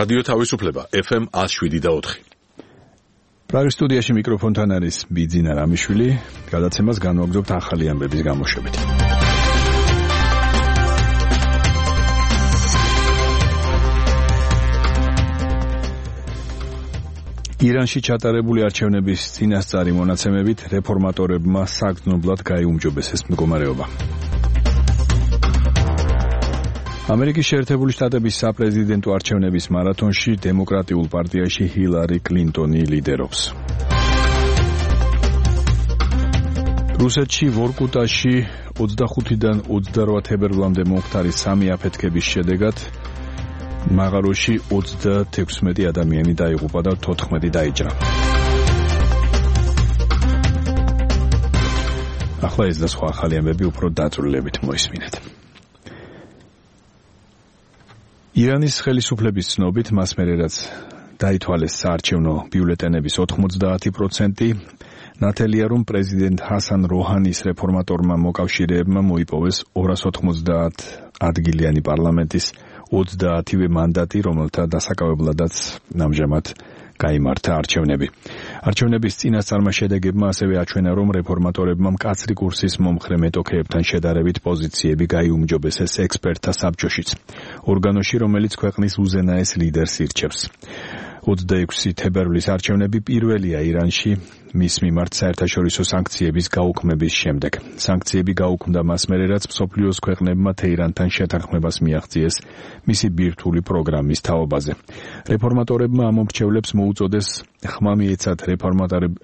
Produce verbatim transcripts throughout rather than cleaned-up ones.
რადიო თავისუფლება ეფ ემ one oh seven და four. პრაღის სტუდიაში მიკროფონთან არის ბიძინა რამიშვილი, გადაცემას განვაგრძობთ ახალი ამბების გამოშვებით. ირანში ჩატარებული არჩევნების წინასწარი მონაცემებით რეფორმატორებმა საგრძნობლად გაიუმჯობესეს მდგომარეობა. ამერიკის შეერთებული შტატების საპრეზიდენტო არჩევნების მარათონში დემოკრატიულ პარტიაში ჰილარი კლინტონი ლიდერობს. რუსეთში ვორკუტაში ოცდახუთიდან ოცდარვა თებერვლამდე მომხდარი სამი აფეთქების შედეგად მაღაროში ოცდათექვსმეტი ადამიანი დაიღუპა და თოთხმეტი დაიჭრა. ახლა ეს და სხვა ახალი ამბები უფრო დაწვრილებით მოისმინეთ. ირანის ხელისუფლების ცნობით მას მერე რაც დაითვალეს საარჩევნო ბიულეტენების ოთხმოცდაათი პროცენტი, ნათელია რომ პრეზიდენტ ჰასან როჰანის რეფორმატორმა მოკავშირეებმა მოიპოვეს ორას ოთხმოცდაათ ადგილიანი პარლამენტის ოცდაათივე მანდატი, რომელთა დასაკავებლადაც ამჟამად გაიმართა არჩევნები. არჩევნების წინასწარმა შედეგებმა ასევე აჩვენა, რომ რეფორმატორებმა მკაცრი კურსის მომხრე მეტოქეებთან შედარებით პოზიციები გაიუმჯობესეს ექსპერტთა საბჭოშიც, ორგანოში, რომელიც ქვეყნის უზენაეს ლიდერს ირჩევს. ოცდაექვსი თებერვლის არჩევნები პირველია ირანში მის მიმართ საერთაშორისო სანქციების გაუქმების შემდეგ. სანქციები გაუქმდა მას მერე, რაც მსოფლიოს ქვეყნებმა თეირანთან შეთანხმებას მიაღწიეს მისი ბირთვული პროგრამის თაობაზე. რეფორმატორებმა ამ მომრჩევლებს მოუწოდეს ხმა მიეცათ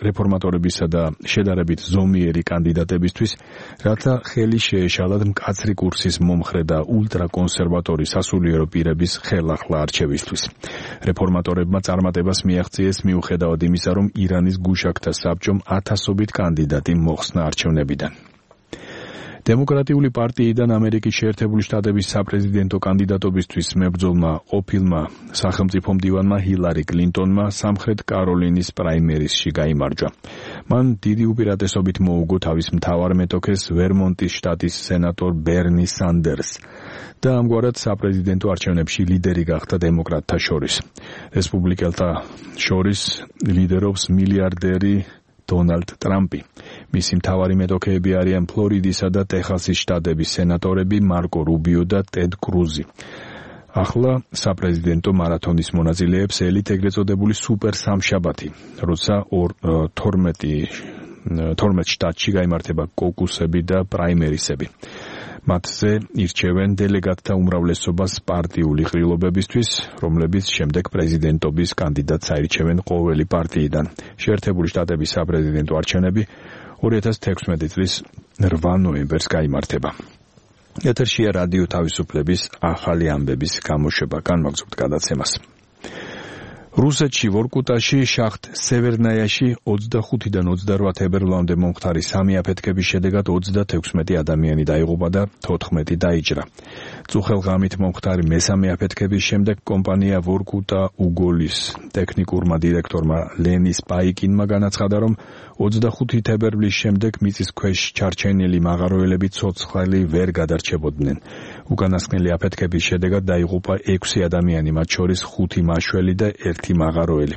რეფორმატორებისა და შედარებით ზომიერი კანდიდატებისთვის, რათა ხელი შეეშალათ მკაცრი კურსის მომხრე და ულტრაკონსერვატორი სასულიერო პირების ხელახლა არჩევისთვის. რეფორმატორებმა წარმატებას მიაღწიეს მიუხედავად იმისა, რომ ირანის გუშაგთა საბჭომ ათასობით კანდიდატი მოხსნა არჩევნებიდან. დემოკრატიული პარტიიდან ამერიკის შეერთებული შტატების საპრეზიდენტო კანდიდატობისთვის მებრძოლმა ყოფილმა სახელმწიფო მდივანმა ჰილარი კლინტონმა სამხრეთ კაროლინის პრაიმერისში გაიმარჯვა. მან დიდი უპირატესობით მოუგო თავის მთავარ მეტოქეს ვერმონტის შტატის სენატორ ბერნი სანდერსს და ამგვარად საპრეზიდენტო არჩევნებში ლიდერი გახდა დემოკრატთა შორის. რესპუბლიკელთა შორის ლიდერობს მილიარდერი დონალდ ტრამპი. მისი მთავარი მეტოქეები არიან ფლორიდისა და ტეხასის შტატების სენატორები მარკო რუბიო და ტედ კრუზი. ახლა საპრეზიდენტო მარათონის მონაწილეებს ელით ეგრეთ წოდებული სუპერ სამშაბათი, როცა თორმეტ შტატში გაიმართება კოკუსები და პრაიმერისები. მათზე ირჩევენ დელეგატთა უმრავლესობას პარტიული ყრილობებისთვის, რომლებიც შემდეგ პრეზიდენტობის კანდიდატს აირჩევენ ყოველი პარტიიდან. შეერთებული შტატების საპრეზიდენტო არჩევნები ორი ათას თექვსმეტი წლის რვა ნოემბერს გაიმართება. ეთერშია რადიო თავისუფლების ახალი ამბების გამოშვება, განვაგრძობთ გადაცემას. რუსეთში ვორკუტაში შახტ სევერნაიაში ოცდახუთიდან ოცდარვა თებერვლამდე მომხდარი სამი აფეთქების შედეგად ოცდათექვსმეტი ადამიანი დაიღუპა და თოთხმეტი დაიჭრა. წუხელღამით მომხდარი მესამე აფეთქების შემდეგ კომპანია ვორკუტა უგოლის ტექნიკურმა დირექტორმა ლენის პაიკინმა განაცხადა, რომ ოცდახუთი თებერვლის შემდეგ მიწის ქვეშ ჩარჩენილი მაღაროელები ცოცხალი ვერ გადარჩებოდნენ. უკანასკნელი აფეთქების შედეგად დაიღუპა ექვსი ადამიანი, მათ შორის ხუთი მაშველი და ერთი მაღაროელი.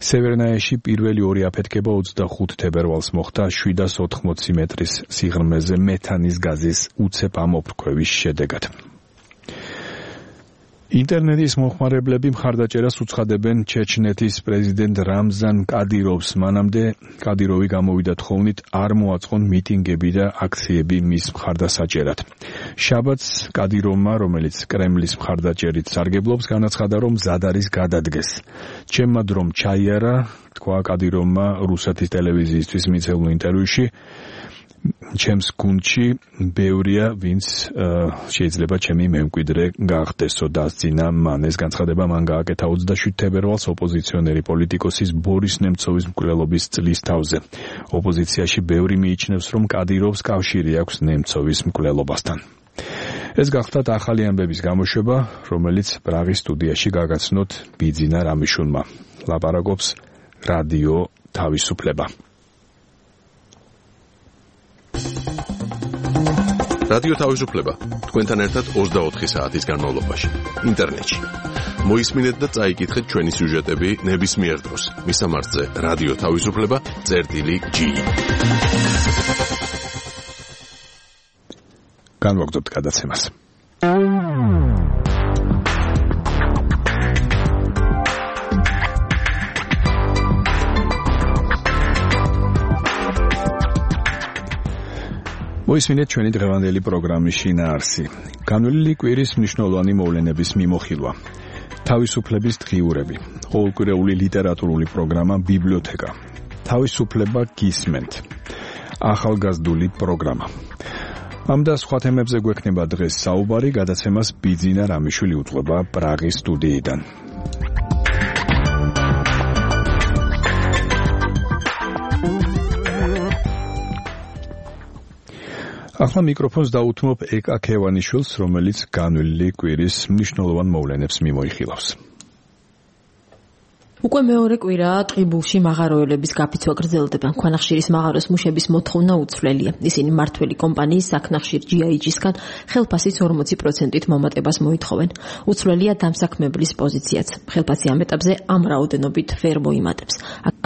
სევერნაიაში პირველი ორი აფეთქება ოცდახუთ თებერვალს მოხდა შვიდას ოთხმოცი მეტრის სიღრმეზე მეთანის გაზის უცებ ამოფრქვევის შედეგად. ინტერნეტის მომხმარებლები მხარდაჭერას უცხადებენ ჩეჩნეთის პრეზიდენტ რამზან კადიროვს, მანამდე კადიროვი გამოვიდა თხოვნით არ მოაწყონ მიტინგები და აქციები მის მხარდასაჭერად. შაბათს კადიროვმა, რომელიც კრემლის მხარდაჭერით სარგებლობს, განაცხადა, რომ მზად არის გადადგეს. ჩემმა დრომ ჩაიარა, თქვა კადიროვმა რუსეთის ტელევიზიისთვის მიცემულ ინტერვიუში. ჩემს გუნდში ბევრია, ვინც შეიძლება ჩემი მემკვიდრე გახდესო, დასძინა მან. ეს განცხადება მან გააკეთა ოცდაშვიდ თებერვალს ოპოზიციონერი პოლიტიკოსის ბორის ნემცოვის მკვლელობის წლის თავზე. ოპოზიციაში ბევრი მიიჩნევს, რომ კადიროვს კავშირი აქვს ნემცოვის მკვლელობასთან. ეს გახდათ ახალი ამბების გამოშვება, რომელიც პრაღის სტუდიაში გაგაცნოთ ბიძინა რამიშვილმა. ლაპარაკობს რადიო თავისუფლება. რადიო თავისუფლება თქვენთან ერთად ოცდაოთხი საათის განმავლობაში ინტერნეტში. მოისმინეთ და წაიკითხეთ ჩვენი სიუჟეტები ნებისმიერ დროს. მისამართზე რადიო თავისუფლება წერტილი ჯი. განვაგრძობთ გადაცემას. მოისმინეთ ჩვენი დღევანდელი პროგრამის შინაარსი. განვლილი კვირის მნიშვნელოვანი მოვლენების მიმოხილვა. თავისუფლების დღიურები. ყოველკვირეული ლიტერატურული პროგრამა ბიბლიოთეკა. თავისუფლება გისმენთ. ახალგაზრდული პროგრამა. ამ და სხვა თემებზე გვექნება დღეს საუბარი, გადაცემას ბიძინა რამიშვილი უძღვება პრაღის სტუდიიდან. ახლა მიკროფონს დაუთმობ ეკა ქევანიშვილს, რომელიც განვლილი კვირის მნიშვნელოვან მოვლენებს მიმოიხილავს. უკვე მეორე კვირაა ტყიბულში მაღაროელების გაფიცვა გრძელდება. ქვანახშირის მაღაროს მუშების მოთხოვნა უცვლელია. ისინი მმართველი კომპანიის საქნახშირ ჯი აი ჯი-სგან ხელფასის ორმოცი პროცენტით მომატებას მოითხოვენ. უცვლელია დამსაქმებლის პოზიციაც. ხელფასი ამ ეტაპზე ამ რაოდენობით ვერ მოიმატებს.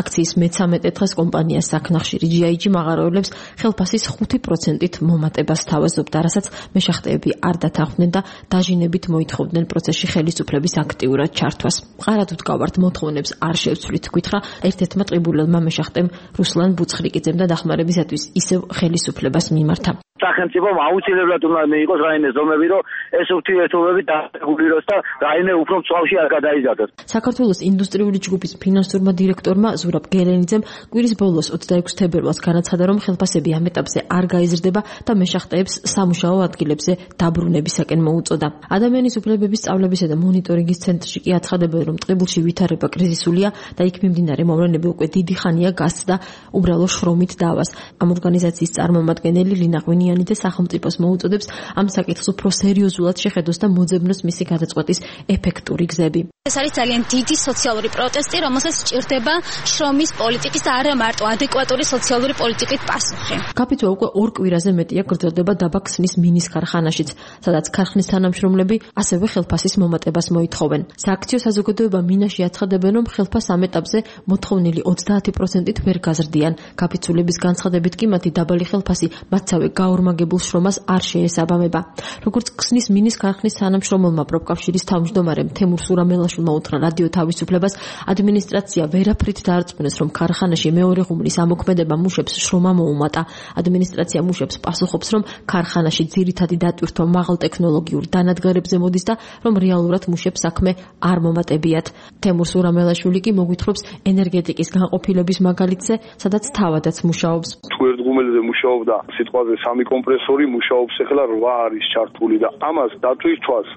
აქციის მეცამეტე დღეს კომპანიას საქნახშირი ჯი აი ჯი მაღაროელებს ხელფასის ხუთი პროცენტით მომატებას თავაზობდა, რასაც მეშახტეები არ დათანხმდნენ და დაჟინებით მოითხოვდნენ პროცესში ხელისუფლების აქტიურად ჩართვას. მყარად ვდგავართ მოთხოვნებს არ შევცვლით, გითხრა ერთ-ერთმა ტყიბულელმა მეშახტემ რუსლან ბუცხრიკიძემ და დახმარებისათვის ისევ ხელისუფლებას მიმართა. სახელმწიფომ აუცილებლად უნდა მიიღოს რაიმე ზომები, რომ ეს ურთიერთობები დარეგულიროს და რაიმე უფრო მწვავში არ გადაიზარდოს. საქართველოს ინდუსტრიული ჯგუფის ფინანსურმა დირექტორმა ზურაბ გელენიძემ კვირის ბოლოს ოცდაექვსი თებერვალს განაცხადა, რომ ხელფასები ამ ეტაპზე არ გაიზრდება და მეშახტეებს სამუშაო ადგილებზე დაბრუნებისაკენ მოუწოდა. ადამიანის უფლებების სწავლებისა და მონიტორინგის ცენტრში კი აცხადებენ, რომ ტყიბულში ვითარება კრიზისულია და იქ მიმდინარე მოვლენები უკვე დიდი ხანია გასცდა უბრალო შრომით დავას. ამ ორგანიზაციის წარმომადგენელი ლინა ღვინიანი და სახელმწიფოს მოუწოდებს ამ საკითხს უფრო სერიოზულად შეხედოს და მოძებნოს მისი გადაწყვეტის ეფექტური გზები. ეს არის ძალიან დიდი სოციალური პროტესტი, რომელსაც სჭირდება შრომის პოლიტიკის და არა მარტო ადეკვატური სოციალური პოლიტიკის პასუხი. გაფიცვა უკვე ორ კვირაზე მეტია გრძელდება დაბა ქსნის მინის ქარხანაშიც, სადაც ქარხნის თანამშრომლები ასევე ხელფასის მომატებას მოითხოვენ. სააქციო საზოგადოება მინაში აცხადებენ, რომ ხელფას ამ ეტაპზე მოთხოვნილი ოცდაათი პროცენტით ვერ გაზრდიან. გაფიცულების განცხადებით კი მათი დაბალი ხელფასი მათსავე გაორმაგებულ შრომას არ შეესაბამება. როგორც ქსნის მინის ქარხნის თანამშრომელმა პროფკავშირის თავმჯდომარემ თემურ სურამელაშვილმა უთხრა რადიო თავისუფლებას, ადმინისტრაცია ვერაფრით დაარწმუნეს, რომ ქარხანაში მეორე ღუმლის ამოქმედება მუშებს შრომა მოუმატა. ადმინისტრაცია მუშებს პასუხობს, რომ ქარხანაში ძირითადი დატვირთვა მაღალ ტექნოლოგიურ დანადგარებზე მოდის და რომ რეალურად მუშებს საქმე არ მომატებიათ. თემურ სურამელაშვილი კი მოგვითხრობს ენერგეტიკის განყოფილების მაგალითზე, სადაც თავადაც მუშაობს. თუ ერთ ღუმელზე მუშაობდა სიტყვაზე სამი კომპრესორი, მუშაობს ახლა რვა არის ჩართული და ამას დატვირთვას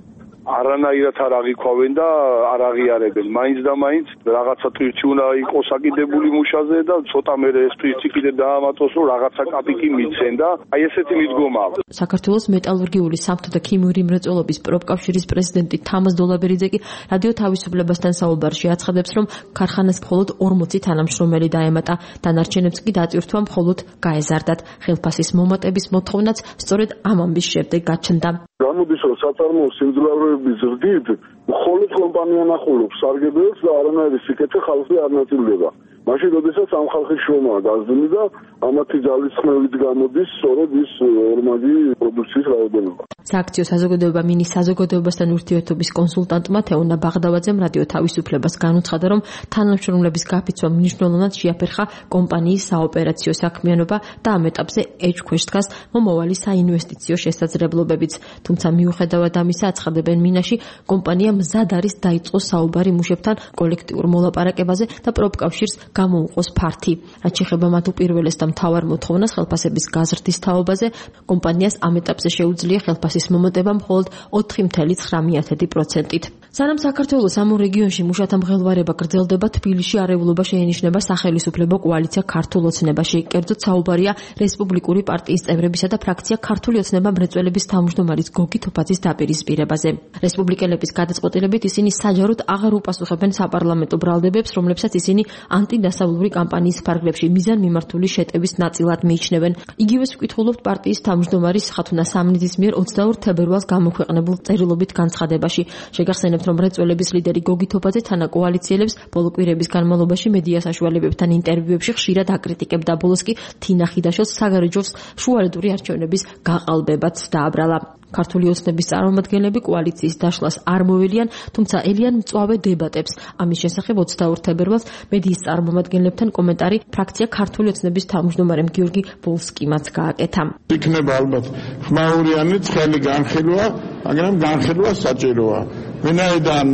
არანაირად არ აღიქვავენ და არ აღიარებენ. მაინც და მაინც რაღაცა ტვირთი უნდა იყოს აკიდებული მუშაზე და ცოტა მერე ეს ტვირთი კიდე დაამატოს, რომ რაღაცა კაპიკი მიცენ და აი ესეთი მიდგომა. საქართველოს მეტალურგიული სამთო და ქიმიური მრეწველობის პროფკავშირის პრეზიდენტი თამაზ დოლაბერიძე კი რადიო თავისუფლებასთან საუბარში აცხადებს, რომ ქარხანას მხოლოდ ორმოცი თანამშრომელი დაემატა, დანარჩენებს კი დატვირთვა მხოლოდ გაეზარდათ. ხელფასის მომატების მოთხოვნაც სწორედ ამ ამბის შემდეგ გაჩნდა. გამოდის, რომ საწარმოო სიმძლავრეების ზრდით მხოლოდ კომპანია ნახულობს სარგებლობს და არანაირი სიკეთე ხალხი არ ნაწილდება. მაშინ როდესაც ამ ხალხის შრომა გაზრდილი და ამათი ძალისხმევით გამოდის სწორედ ის ორმაგი პროდუქციის რაოდენობა. სააქციო საზოგადოება მინის საზოგადოებასთან ურთიერთობის კონსულტანტმა თეონა ბაღდავაძემ რადიო თავისუფლებას განუცხადა, რომ თანამშრომლების გაფიცვა მნიშვნელოვნად შეაფერხა კომპანიის საოპერაციო საქმიანობა და ამ ეტაპზე ეჭქვეშ დგას მომავალი საინვესტიციო შესაძლებლობებიც. თუმცა მიუხედავად ამისა, აცხადებენ მინაში, კომპანია მზად არის დაიწყოს საუბარი მუშებთან კოლექტიურ მოლაპარაკებაზე და პროფკავშირს გამოუყოს ფართი. რაც შეეხება მათ უპირველეს და მთავარ მოთხოვნას ხელფასების გაზრდის თაობაზე, კომპანიას ამ ეტაპზე შეუძლია ხელფასის მომატება მხოლოდ ოთხი კoma ცხრამეტი პროცენტით. სანამ საქართველოს ამ რეგიონში მუშათა მღელვარება გრძელდება, თბილისში არეულობა შეენიშნება სახელმწიფო კოალიცია ქართულ ოცნებაში. კერძოდ საუბარია რესპუბლიკური პარტიის წევრებისა და ფრაქცია ქართული ოცნება მრეწველების თავმჯდომარის გოგი თოფაძის დაპირისპირებაზე. რესპუბლიკელების გადაწყვეტილებით ისინი საჯაროდ აღარ უპასუხებენ საპარლამენტო ბრალდებებს, რომლებსაც ისინი ანტიდასავლური კამპანიის ფარგლებში მიზანმიმართული შეტევის ნაწილად მიიჩნევენ. იგივეს ვკითხულობთ პარტიის თავმჯდომარის ხათუნა სამნიძის მიერ ოცდაორ თებერვალს გამოქვეყნებულ წერილობით განცხადებაში. შეგახსენებთ, რომ მრეწველების ლიდერი გოგი თოფაძე თანაკოალიციელებს ბოლო კვირების განმავლობაში მედია საშუალებებთან ინტერვიუებში ხშირად აკრიტიკებდა. ბოლოს კი თინა ხიდაშვილს საგარეჯოს შუალედური არჩევნების გაყალბებაც დააბრალა. ქართული ოცნების წარმომადგენლები კოალიციის დაშლას არ მოველიან, თუმცა ელიან მწვავე დებატებს. ამის შესახებ ოცდაორ თებერვალს მედიის წარმომადგენლებთან კომენტარი ფრაქცია ქართული ოცნების თავმჯდომარემ გიორგი ვოლსკიმაც გააკეთა. იქნება ალბათ ხმაურიანი ცხელი განხილვა, მაგრამ განხილვა საჭიროა. ვინაიდან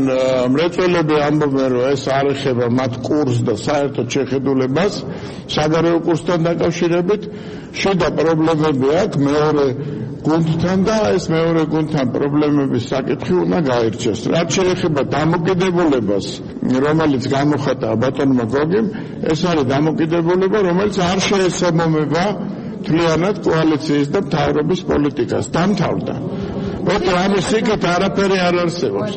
მრეწველები ამბობენ, რომ ეს არ ეხება მათ კურსს და საერთოდ შეხედულებას საგარეო კურსთან დაკავშირებით, შიდა პრობლემები აქვს მეორე გუნდთან და ეს მეორე გუნდთან პრობლემების საკითხი უნდა გაირჩეს. რაც შეეხება დამოკიდებულებას, რომელიც გამოხატა ბატონმა გოგიმ, ეს არის დამოკიდებულება, რომელიც არ შეესაბამება მთლიანად კოალიციის და მთავრობის პოლიტიკას. დამთავრდა. ოღონდ ამის იქით არაფერი არ არსებობს.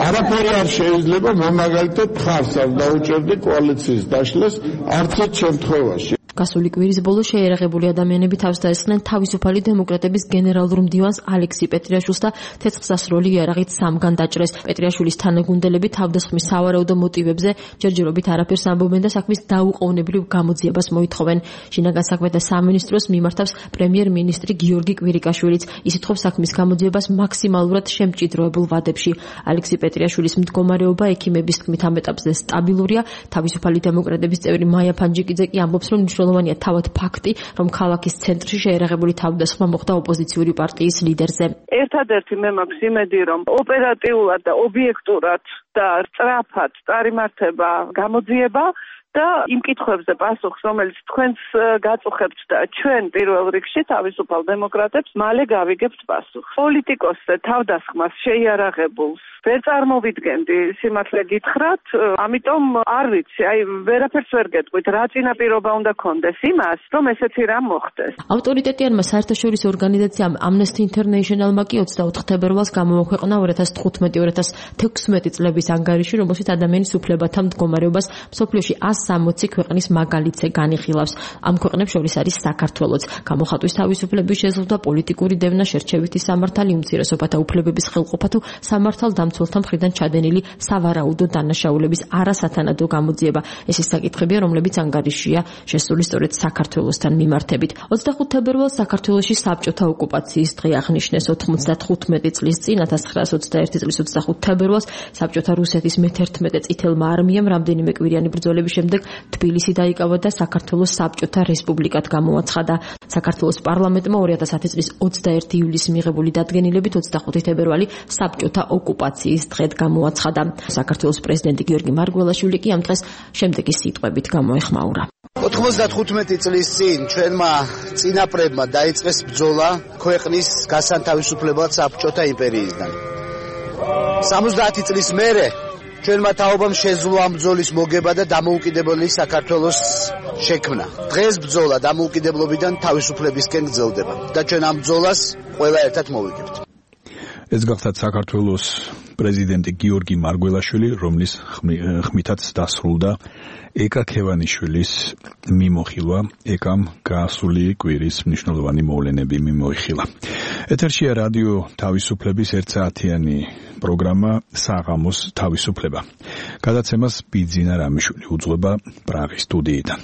არაფერი არ შეიძლება მე მაგალითად მხარს არ დაუჭერდი კოალიციის დაშლას არც ერთ შემთხვევაში. გასული კვირის ბოლოს შეერაღებული ადამიანები თავს დაესხნენ თავისუფალი დემოკრატების გენერალურ მდივანს ალექსი პეტრიაშვილს და ცეცხლსასროლი იარაღით სამგან დაჭრეს. პეტრიაშვილის თანაგუნდელები თავდასხმის სავარაუდო მოტივებზე ჯერჯერობით არაფერს ამბობენ და საქმის დაუყოვნებლივ გამოძიებას მოითხოვენ. შინაგან საქმეთა სამინისტროს მიმართავს პრემიერ-მინისტრი გიორგი კვირიკაშვილიც. ის ითხოვს საქმის გამოძიებას მაქსიმალურად შემჭიდროებულ ვადებში. ალექსი პეტრიაშვილის მდგომარეობა ექიმების თქმით ამ ეტაპზე სტაბილურია. თავისუფალი დემოკრატების წევრი მაია ფანჯიკიძე კი ამბობს, რომ მნიშვნელოვანია თავად ფაქტი, რომ ქალაქის ცენტრში შეერაღებული თავდასხმა მოხდა ოპოზიციური პარტიის ლიდერზე. ერთადერთი მე მაქვს იმედი, რომ ოპერატიულად და ობიექტურად და სწრაფად წარიმართება გამოძიება და იმ კითხვებზე პასუხს, რომელიც თქვენს გაწუხებთ და ჩვენ პირველ რიგში თავისუფალ დემოკრატებს მალე გავიგებთ პასუხს. პოლიტიკოსზე თავდასხმას შეიარაღებულს ვერ წარმოვიდგენდი, სიმართლე გითხრათ, ამიტომ არ ვიცი, აი ვერაფერს ვერ გეტყვით, რა წინაპირობა უნდა კონდეს იმას, რომ ესეთი რამ მოხდეს. ავტორიტეტიანმა საერთაშორისო ორგანიზაციამ Amnesty International-მა კი ოცდაოთხ თებერვალს გამოაქვეყნა ორი ათას თხუთმეტი ორი ათას თექვსმეტი წლების ანგარიში, რომელშიც ადამიანის უფლებათა მდგომარეობას მსოფლიოში ას სამოცი ქვეყნის მაგალითზე განიხილავს. ამ ქვეყნებს შორის არის საქართველოც. გამოხატვის თავისუფლების შეზღუდვა, პოლიტიკური დევნა, შერჩევითი სამართალი, უმცირესობათა უფლებების ხელყოფა თუ სამართალდამცველთა მხრიდან ჩადენილი სავარაუდო დანაშაულების არასათანადო გამოძიება. ეს ის საკითხებია, რომლებიც ანგარიშია შესული სწორედ საქართველოსთან მიმართებით. ოცდახუთ თებერვალს საქართველოში საბჭოთა ოკუპაციის დღე აღნიშნეს. ოთხმოცდათხუთმეტი წლის წინ ათას ცხრაას ოცდაერთი წლის ოცდახუთ თებერვალს საბჭოთა რუსეთის მეთერთმეტე წითელმა არმიამ რამდენიმე კვირიანი ბრძოლების შემდეგ თბილისი დაიკავა და საქართველოს საბჭოთა რესპუბლიკად გამოაცხადა. საქართველოს პარლამენტმა ორი ათას ათი წლის ოცდაერთი ივლისის მიღებული დადგენილებით ოცდახუთი თებერვალი საბჭოთა ოკუპაციის დღედ გამოაცხადა. საქართველოს პრეზიდენტი გიორგი მარგველაშვილი კი ამ დღეს შემდეგი სიტყვებით გამოეხმაურა. ოთხმოცდათხუთმეტი წლის წინ ჩვენმა წინაპრებმა დაიწყეს ბრძოლა ქვეყნის გასანთავისუფლებლად საბჭოთა იმპერიისგან. სამოცდაათი წლის მერე ჩვენმა თაობამ შეძლო ამ ბრძოლის მოგება და დამოუკიდებელი საქართველოს შექმნა. დღეს ბრძოლა დამოუკიდებლობიდან თავისუფლებისკენ გრძელდება და ჩვენ ამ ბრძოლას ყველა ერთად მოვიგებთ. ეს გახლავთ საქართველოს პრეზიდენტი გიორგი მარგველაშვილი, რომლის ხმითაც დასრულდა ეკა ქევანიშვილის მიმოხილვა. ეკამ გასული კვირის მნიშვნელოვანი მოვლენები მიმოიხილა. ეთერშია რადიო თავისუფლების ერთსაათიანი პროგრამა საღამოს თავისუფლება. გადაცემას ბიძინა რამიშვილი უძღვება პრაღის სტუდიიდან.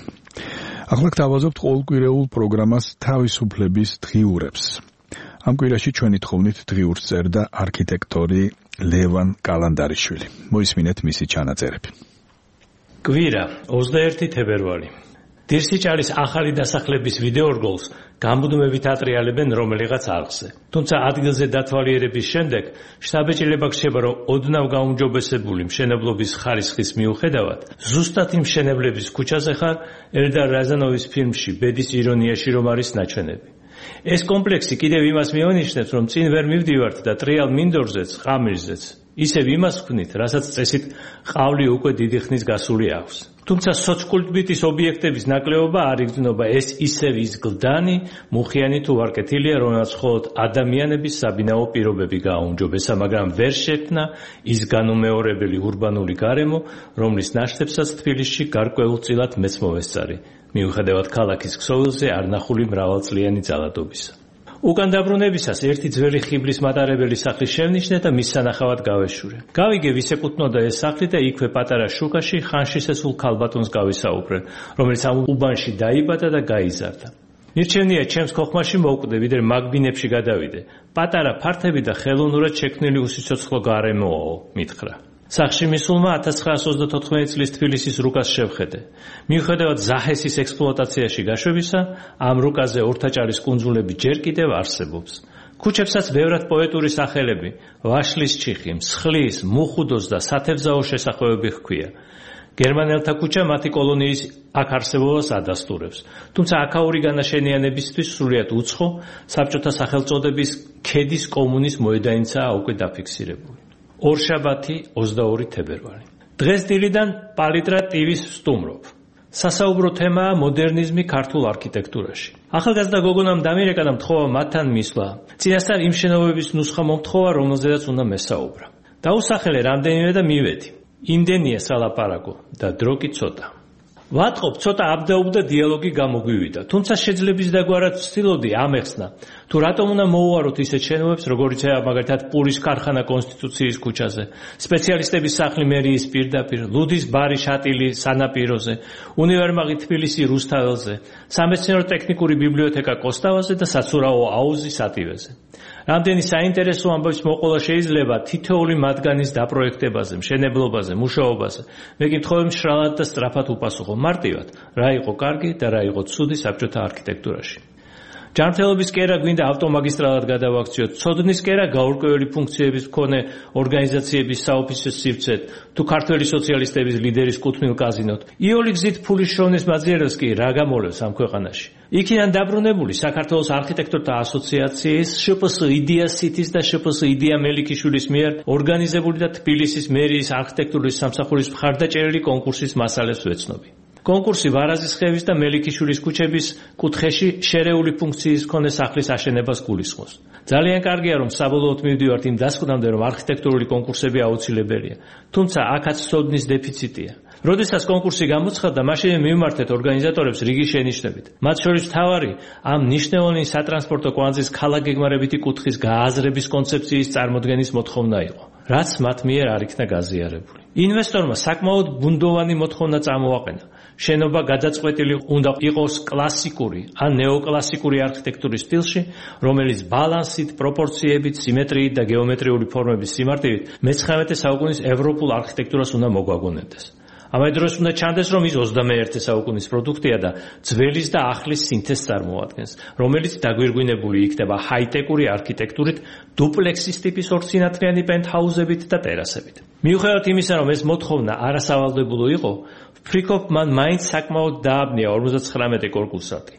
ახლა გთავაზობთ ყოველკვირეულ პროგრამას თავისუფლების დღიურებს. ამ კვირაში ჩვენი თხოვნით დღიურს წერდა არქიტექტორი ლევან კალანდარიშვილი. მოისმინეთ მისი ჩანაწერები. კვირა ოცდაერთი თებერვალი. დირსიჭალის ახალი დასახლების ვიდეორგოლს გამუდმებით ატრიალებენ რომელიღაც არხზე. თუმცა ადგილზე დათვალიერების შემდეგ შტაბ-ეჭილება გრჩება, რომ ოდნავ გაუმჯობესებული მშენებლობის ხარისხის მიუხედავად ზუსტად იმ მშენებლების ქუჩაზე ხარ ელდარ რაზანოვის ფილმში ბედის ირონიაში რომ არის ნაჩვენები. ეს კომპლექსი კიდევ იმას მიანიშნებს, რომ წინ ვერ მივდივართ და ტრიალ მინდორზეც, ღამილზეც ისევ იმას ვქნით, რასაც წესით ყავლი უკვე დიდი ხნის გასული აქვს. თუმცა სოცკულტბიტის ობიექტების ნაკლებობა არ იგრძნობა, ეს ისევ ის გლდანი, მუხიანი თუ ვარკეთილია, რომელსაც მხოლოდ ადამიანების საბინაო პირობები გააუმჯობესა, მაგრამ ვერ შექმნა ის განუმეორებელი ურბანული გარემო, რომლის ნაშთებსაც თბილისში გარკვეულწილად მეც მოვესწარი, მიუხედავად ქალაქის ქსოვილზე არნახული მრავალწლიანი ძალადობისა. უკან დაბრუნებისას ერთი ძველი ხიბლის მატარებელი სახლის შევნიშნე და მის სანახავად გავეშურე. გავიგე ვის ეკუთვნოდა ეს სახლი და იქვე პატარა შუქაში ხანშისესულ ქალბატონს გავისაუბრე, რომელიც ამ უბანში დაიბადა და გაიზარდა. ნირჩენია ჩემს ხოხმაში მოვკვდე, ვიდრე მაგბინებში გადავიდე. პატარა ფართები და ხელოვნურად შექმნილი უსიცოცხლო გარემოაო, მითხრა. სახში მისულმა ათას ცხრაასი ოცდათოთხმეტი წლის თბილისის რუკას შევხედე. მიუხედავად ზაჰესის ექსპლუატაციაში გაშვებისა, ამ რუკაზე ორთაჭალის კუნძულები ჯერ კიდევ არსებობს. ქუჩებსაც ბევრად პოეტური სახელები, ვაშლის ჩიხი, მსხლის, მუხუდოს და სათევზაო შესახვევები ჰქვია. გერმანელთა ქუჩა მათი კოლონიის აქ არსებობას ადასტურებს. თუმცა აქაური განაშენიანებისთვის სრულიად უცხო, საბჭოთა სახელწოდების ქედის კომუნის მოედანიცაა უკვე დაფიქსირებული. ორშაბათი ოცდაორი თებერვალი. დღეს დილიდან პალიტრა ტივის ვსტუმრობ. სასაუბრო თემაა მოდერნიზმი ქართულ არქიტექტურაში. ახალგაზრდა გოგონამ დამირეკა და მთხოვა მათთან მისვლა. წინასწარ იმ შენობების ნუსხა მომთხოვა, რომელზედაც უნდა მესაუბრა. დაუსახელე რამდენიმე და მივედი. იმდენია სალაპარაკო და დრო კი ცოტა. ვატყობ, ცოტა აბდაუბდა დიალოგი გამოგვივიდა, თუმცა შეძლების დაგვარად ვცდილობდი ამეხსნა, თუ რატომ უნდა მოუვაროთ ისეთ შენობებს, როგორიცაა მაგალითად პურის ქარხანა კონსტიტუციის ქუჩაზე, სპეციალისტების სახლი მერიის პირდაპირ, ლუდის ბარი შატილი სანაპიროზე, უნივერმაღი თბილისი რუსთაველზე, სამეცნიერო-ტექნიკური ბიბლიოთეკა კოსტავაზე და საცურაო აუზი სატივეზე. რამდენი საინტერესო ამბების მოყოლა შეიძლება თითოეული მათგანის დაპროექტებაზე, მშენებლობაზე, მუშაობაზე. მე კი მთხოვე მშრალად და სწრაფად უპასუხო მარტივად, რა იყო კარგი და რა იყო ცუდი საბჭოთა არქიტექტურაში. ჯანმრთელობის კერა გვინდა ავტომაგისტრალად გადავაქციოთ, ცოდნის კერა გაურკვეველი ფუნქციების მქონე ორგანიზაციების საოფისე სივრცეთ, თუ ქართველი სოციალისტების ლიდერის კუთვნილ კაზინოთ. იული გზით ფულის შოვნის მაძიერებს კი რა გამოლევს ამ ქვეყანაში. იქიდან დაბრუნებული საქართველოს არქიტექტორთა ასოციაციის შპს იდეა სიტის და შპს იდეა მელიქიშვილის მიერ ორგანიზებული და თბილისის მერიის არქიტექტურის სამსახურის მხარდაჭერილი კონკურსის მასალებს ვეცნობი. კონკურსი ვარაზის ხევის და მელიქიშვილის ქუჩების კუთხეში შერეული ფუნქციის მქონე სახლის აშენებას გულისხმობს. ძალიან კარგია, რომ საბოლოოდ მივდივართ იმ დასკვნამდე, რომ არქიტექტურული კონკურსები აუცილებელია, თუმცა აქაც ცოდნის დეფიციტია. როდესაც კონკურსი გამოცხადდა, მაშინ მივმართეთ ორგანიზატორებს რიგი შენიშვნებით. მათ შორის მთავარი ამ მნიშვნელოვანი სატრანსპორტო კვანძის ქალაქგეგმარებითი კუთხის გააზრების კონცეფციის წარმოდგენის მოთხოვნა იყო, რაც მათ მიერ არ იქნა გაზიარებული. ინვესტორმა საკმაოდ ბუნდოვანი მოთხოვნა წამოაყენა. შენობა გადაწყვეტილი უნდა იყოს კლასიკური ან ნეოკლასიკური არქიტექტურის სტილში, რომელიც ბალანსით, პროპორციებით, სიმეტრიით და გეომეტრიული ფორმების სიმარტივით მეცხრამეტე საუკუნის ევროპულ არქიტექტურას უნდა მოგვაგონებდეს. ამავე დროს უნდა ჩანდეს, რომ ის ოცდამეერთე საუკუნის პროდუქტია და ძველის და ახლის სინთეზს წარმოადგენს, რომელიც დაგვირგვინებული იქნება ჰაიტეკური არქიტექტურით, დუპლექსის ტიპის ორსინათლიანი პენტჰაუზებით და ტერასებით. მიუხედავად იმისა, რომ ეს მოთხოვნა არასავალდებულო იყო, ვფრიქობ, მან მაინც საკმაოდ დააბნია ორმოცდათხრამეტი კონკურსანტი.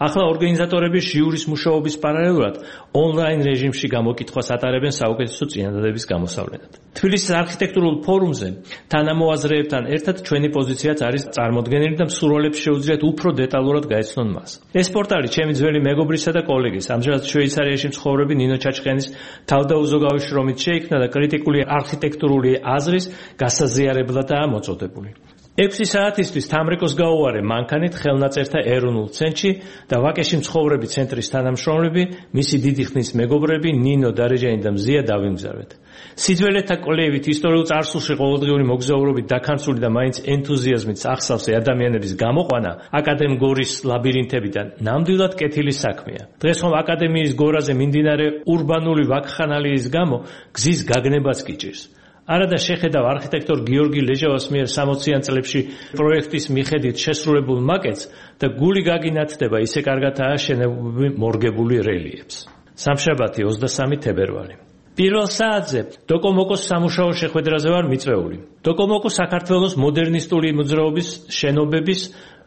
ახლა ორგანიზატორები ჟიურის მუშაობის პარალელურად ონლაინ რეჟიმში გამოკითხვას ატარებენ საუკეთესო წინადადების გამოსავლენად. თბილისის არქიტექტურულ ფორუმზე თანამოაზრეებთან ერთად ჩვენი პოზიციაც არის წარმოდგენილი და მსურველებს შეუძლიათ უფრო დეტალურად გაეცნონ მას. ეს პორტალი ჩემი ძველი მეგობრისა და კოლეგის, ამჟამად შვეიცარიაში მცხოვრები ნინო ჩაჩხენის თავდაუზოგავი შრომით შეიქმნა და კრიტიკული არქიტექტურული აზრის გასაზიარებლადაა მოწოდებული. ექვსი საათისთვის თამრეკოს გაუვარე მანქანით ხელნაწერთა ეროვნულ ცენტრში და ვაკეში მცხოვრები ცენტრის თანამშრომლები, მისი დიდი ხნის მეგობრები ნინო დარეჯანი და მზია დავიმგზავრეთ. სიძველეთა კვლევით ისტორიულ წარსულში ყოველდღიური მოგზაურობით დაქანცული და მაინც ენთუზიაზმით ახსავსე ადამიანების გამოყვანა აკადემ გორის ლაბირინთებიდან ნამდვილად კეთილი საქმეა. დღეს ხომ აკადემიის გორაზე მიმდინარე ურბანული ვაკხანალიის გამო გზის გაგნებაც კი ჭირს. არადა შეხედავ არქიტექტორ გიორგი ლეჟავას მიერ სამოციან წლებში პროექტის მიხედვით შესრულებულ მაკეტს და გული გაგინათდება ისე კარგად ააშენებული მორგებული რელიეფს. სამშაბათი ოცდასამი თებერვალი. პირველ საათზე დოკომოკოს სამუშაო შეხვედრაზე ვარ მიწვეული. დოკომოკო საქართველოს მოდერნისტული მოძრაობის შენობების,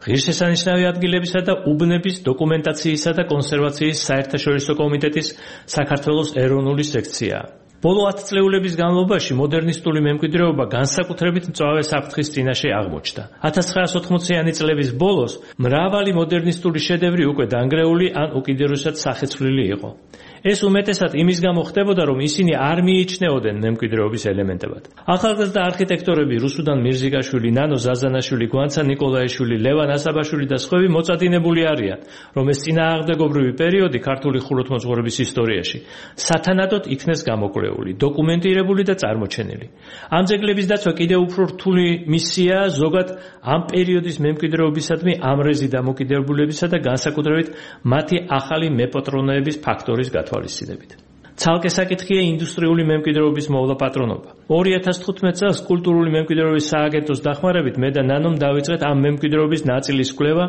ღირსშესანიშნავი ადგილებისა და უბნების დოკუმენტაციისა და კონსერვაციის საერთაშორისო კომიტეტის საქართველოს ეროვნული სექციაა. ბოლო ათ წლეულების განმავლობაში მოდერნისტული მემკვიდრეობა განსაკუთრებით მწვავე საფრთხის წინაშე აღმოჩნდა. ათას ცხრაასი ოთხმოციანი წლების ბოლოს მრავალი მოდერნისტული შედევრი უკვე დანგრეული ან უკიდურესად სახეცვლილი იყო. ეს უმეტესად იმის გამო ხდებოდა, რომ ისინი არ მიიჩნეოდნენ მემკვიდრეობის ელემენტებად. ახალგაზრდა არქიტექტორები რუსუდან მირზიკაშვილი, ნანო ზაზანაშვილი, გვანცა ნიკოლაიშვილი, ლევან ასაბაშვილი და სხვები მოწადინებული არიან, რომ ეს წინააღმდეგობრივი პერიოდი ქართული ხუროთმოძღვრების ისტორიაში სათანადოდ იქნეს გამოკვლეული, დოკუმენტირებული და წარმოჩენილი. ამ ძეგლების დაცვა კიდევ უფრო რთული მისიაა ზოგად ამ პერიოდის მემკვიდრეობისადმი ამრეზი დამოკიდებულებისა და განსაკუთრებით მათი ახალი მეპატრონეების ფაქტორის გათვალისწინებით. ცალკე საკითხია ინდუსტრიული მემკვიდრეობის მოვლა პატრონობა. ორი ათას თხუთმეტ წელს კულტურული მემკვიდრეობის სააგენტოს დახმარებით მე და ნანომ დავიწყეთ ამ მემკვიდრეობის ნაწილის კვლევა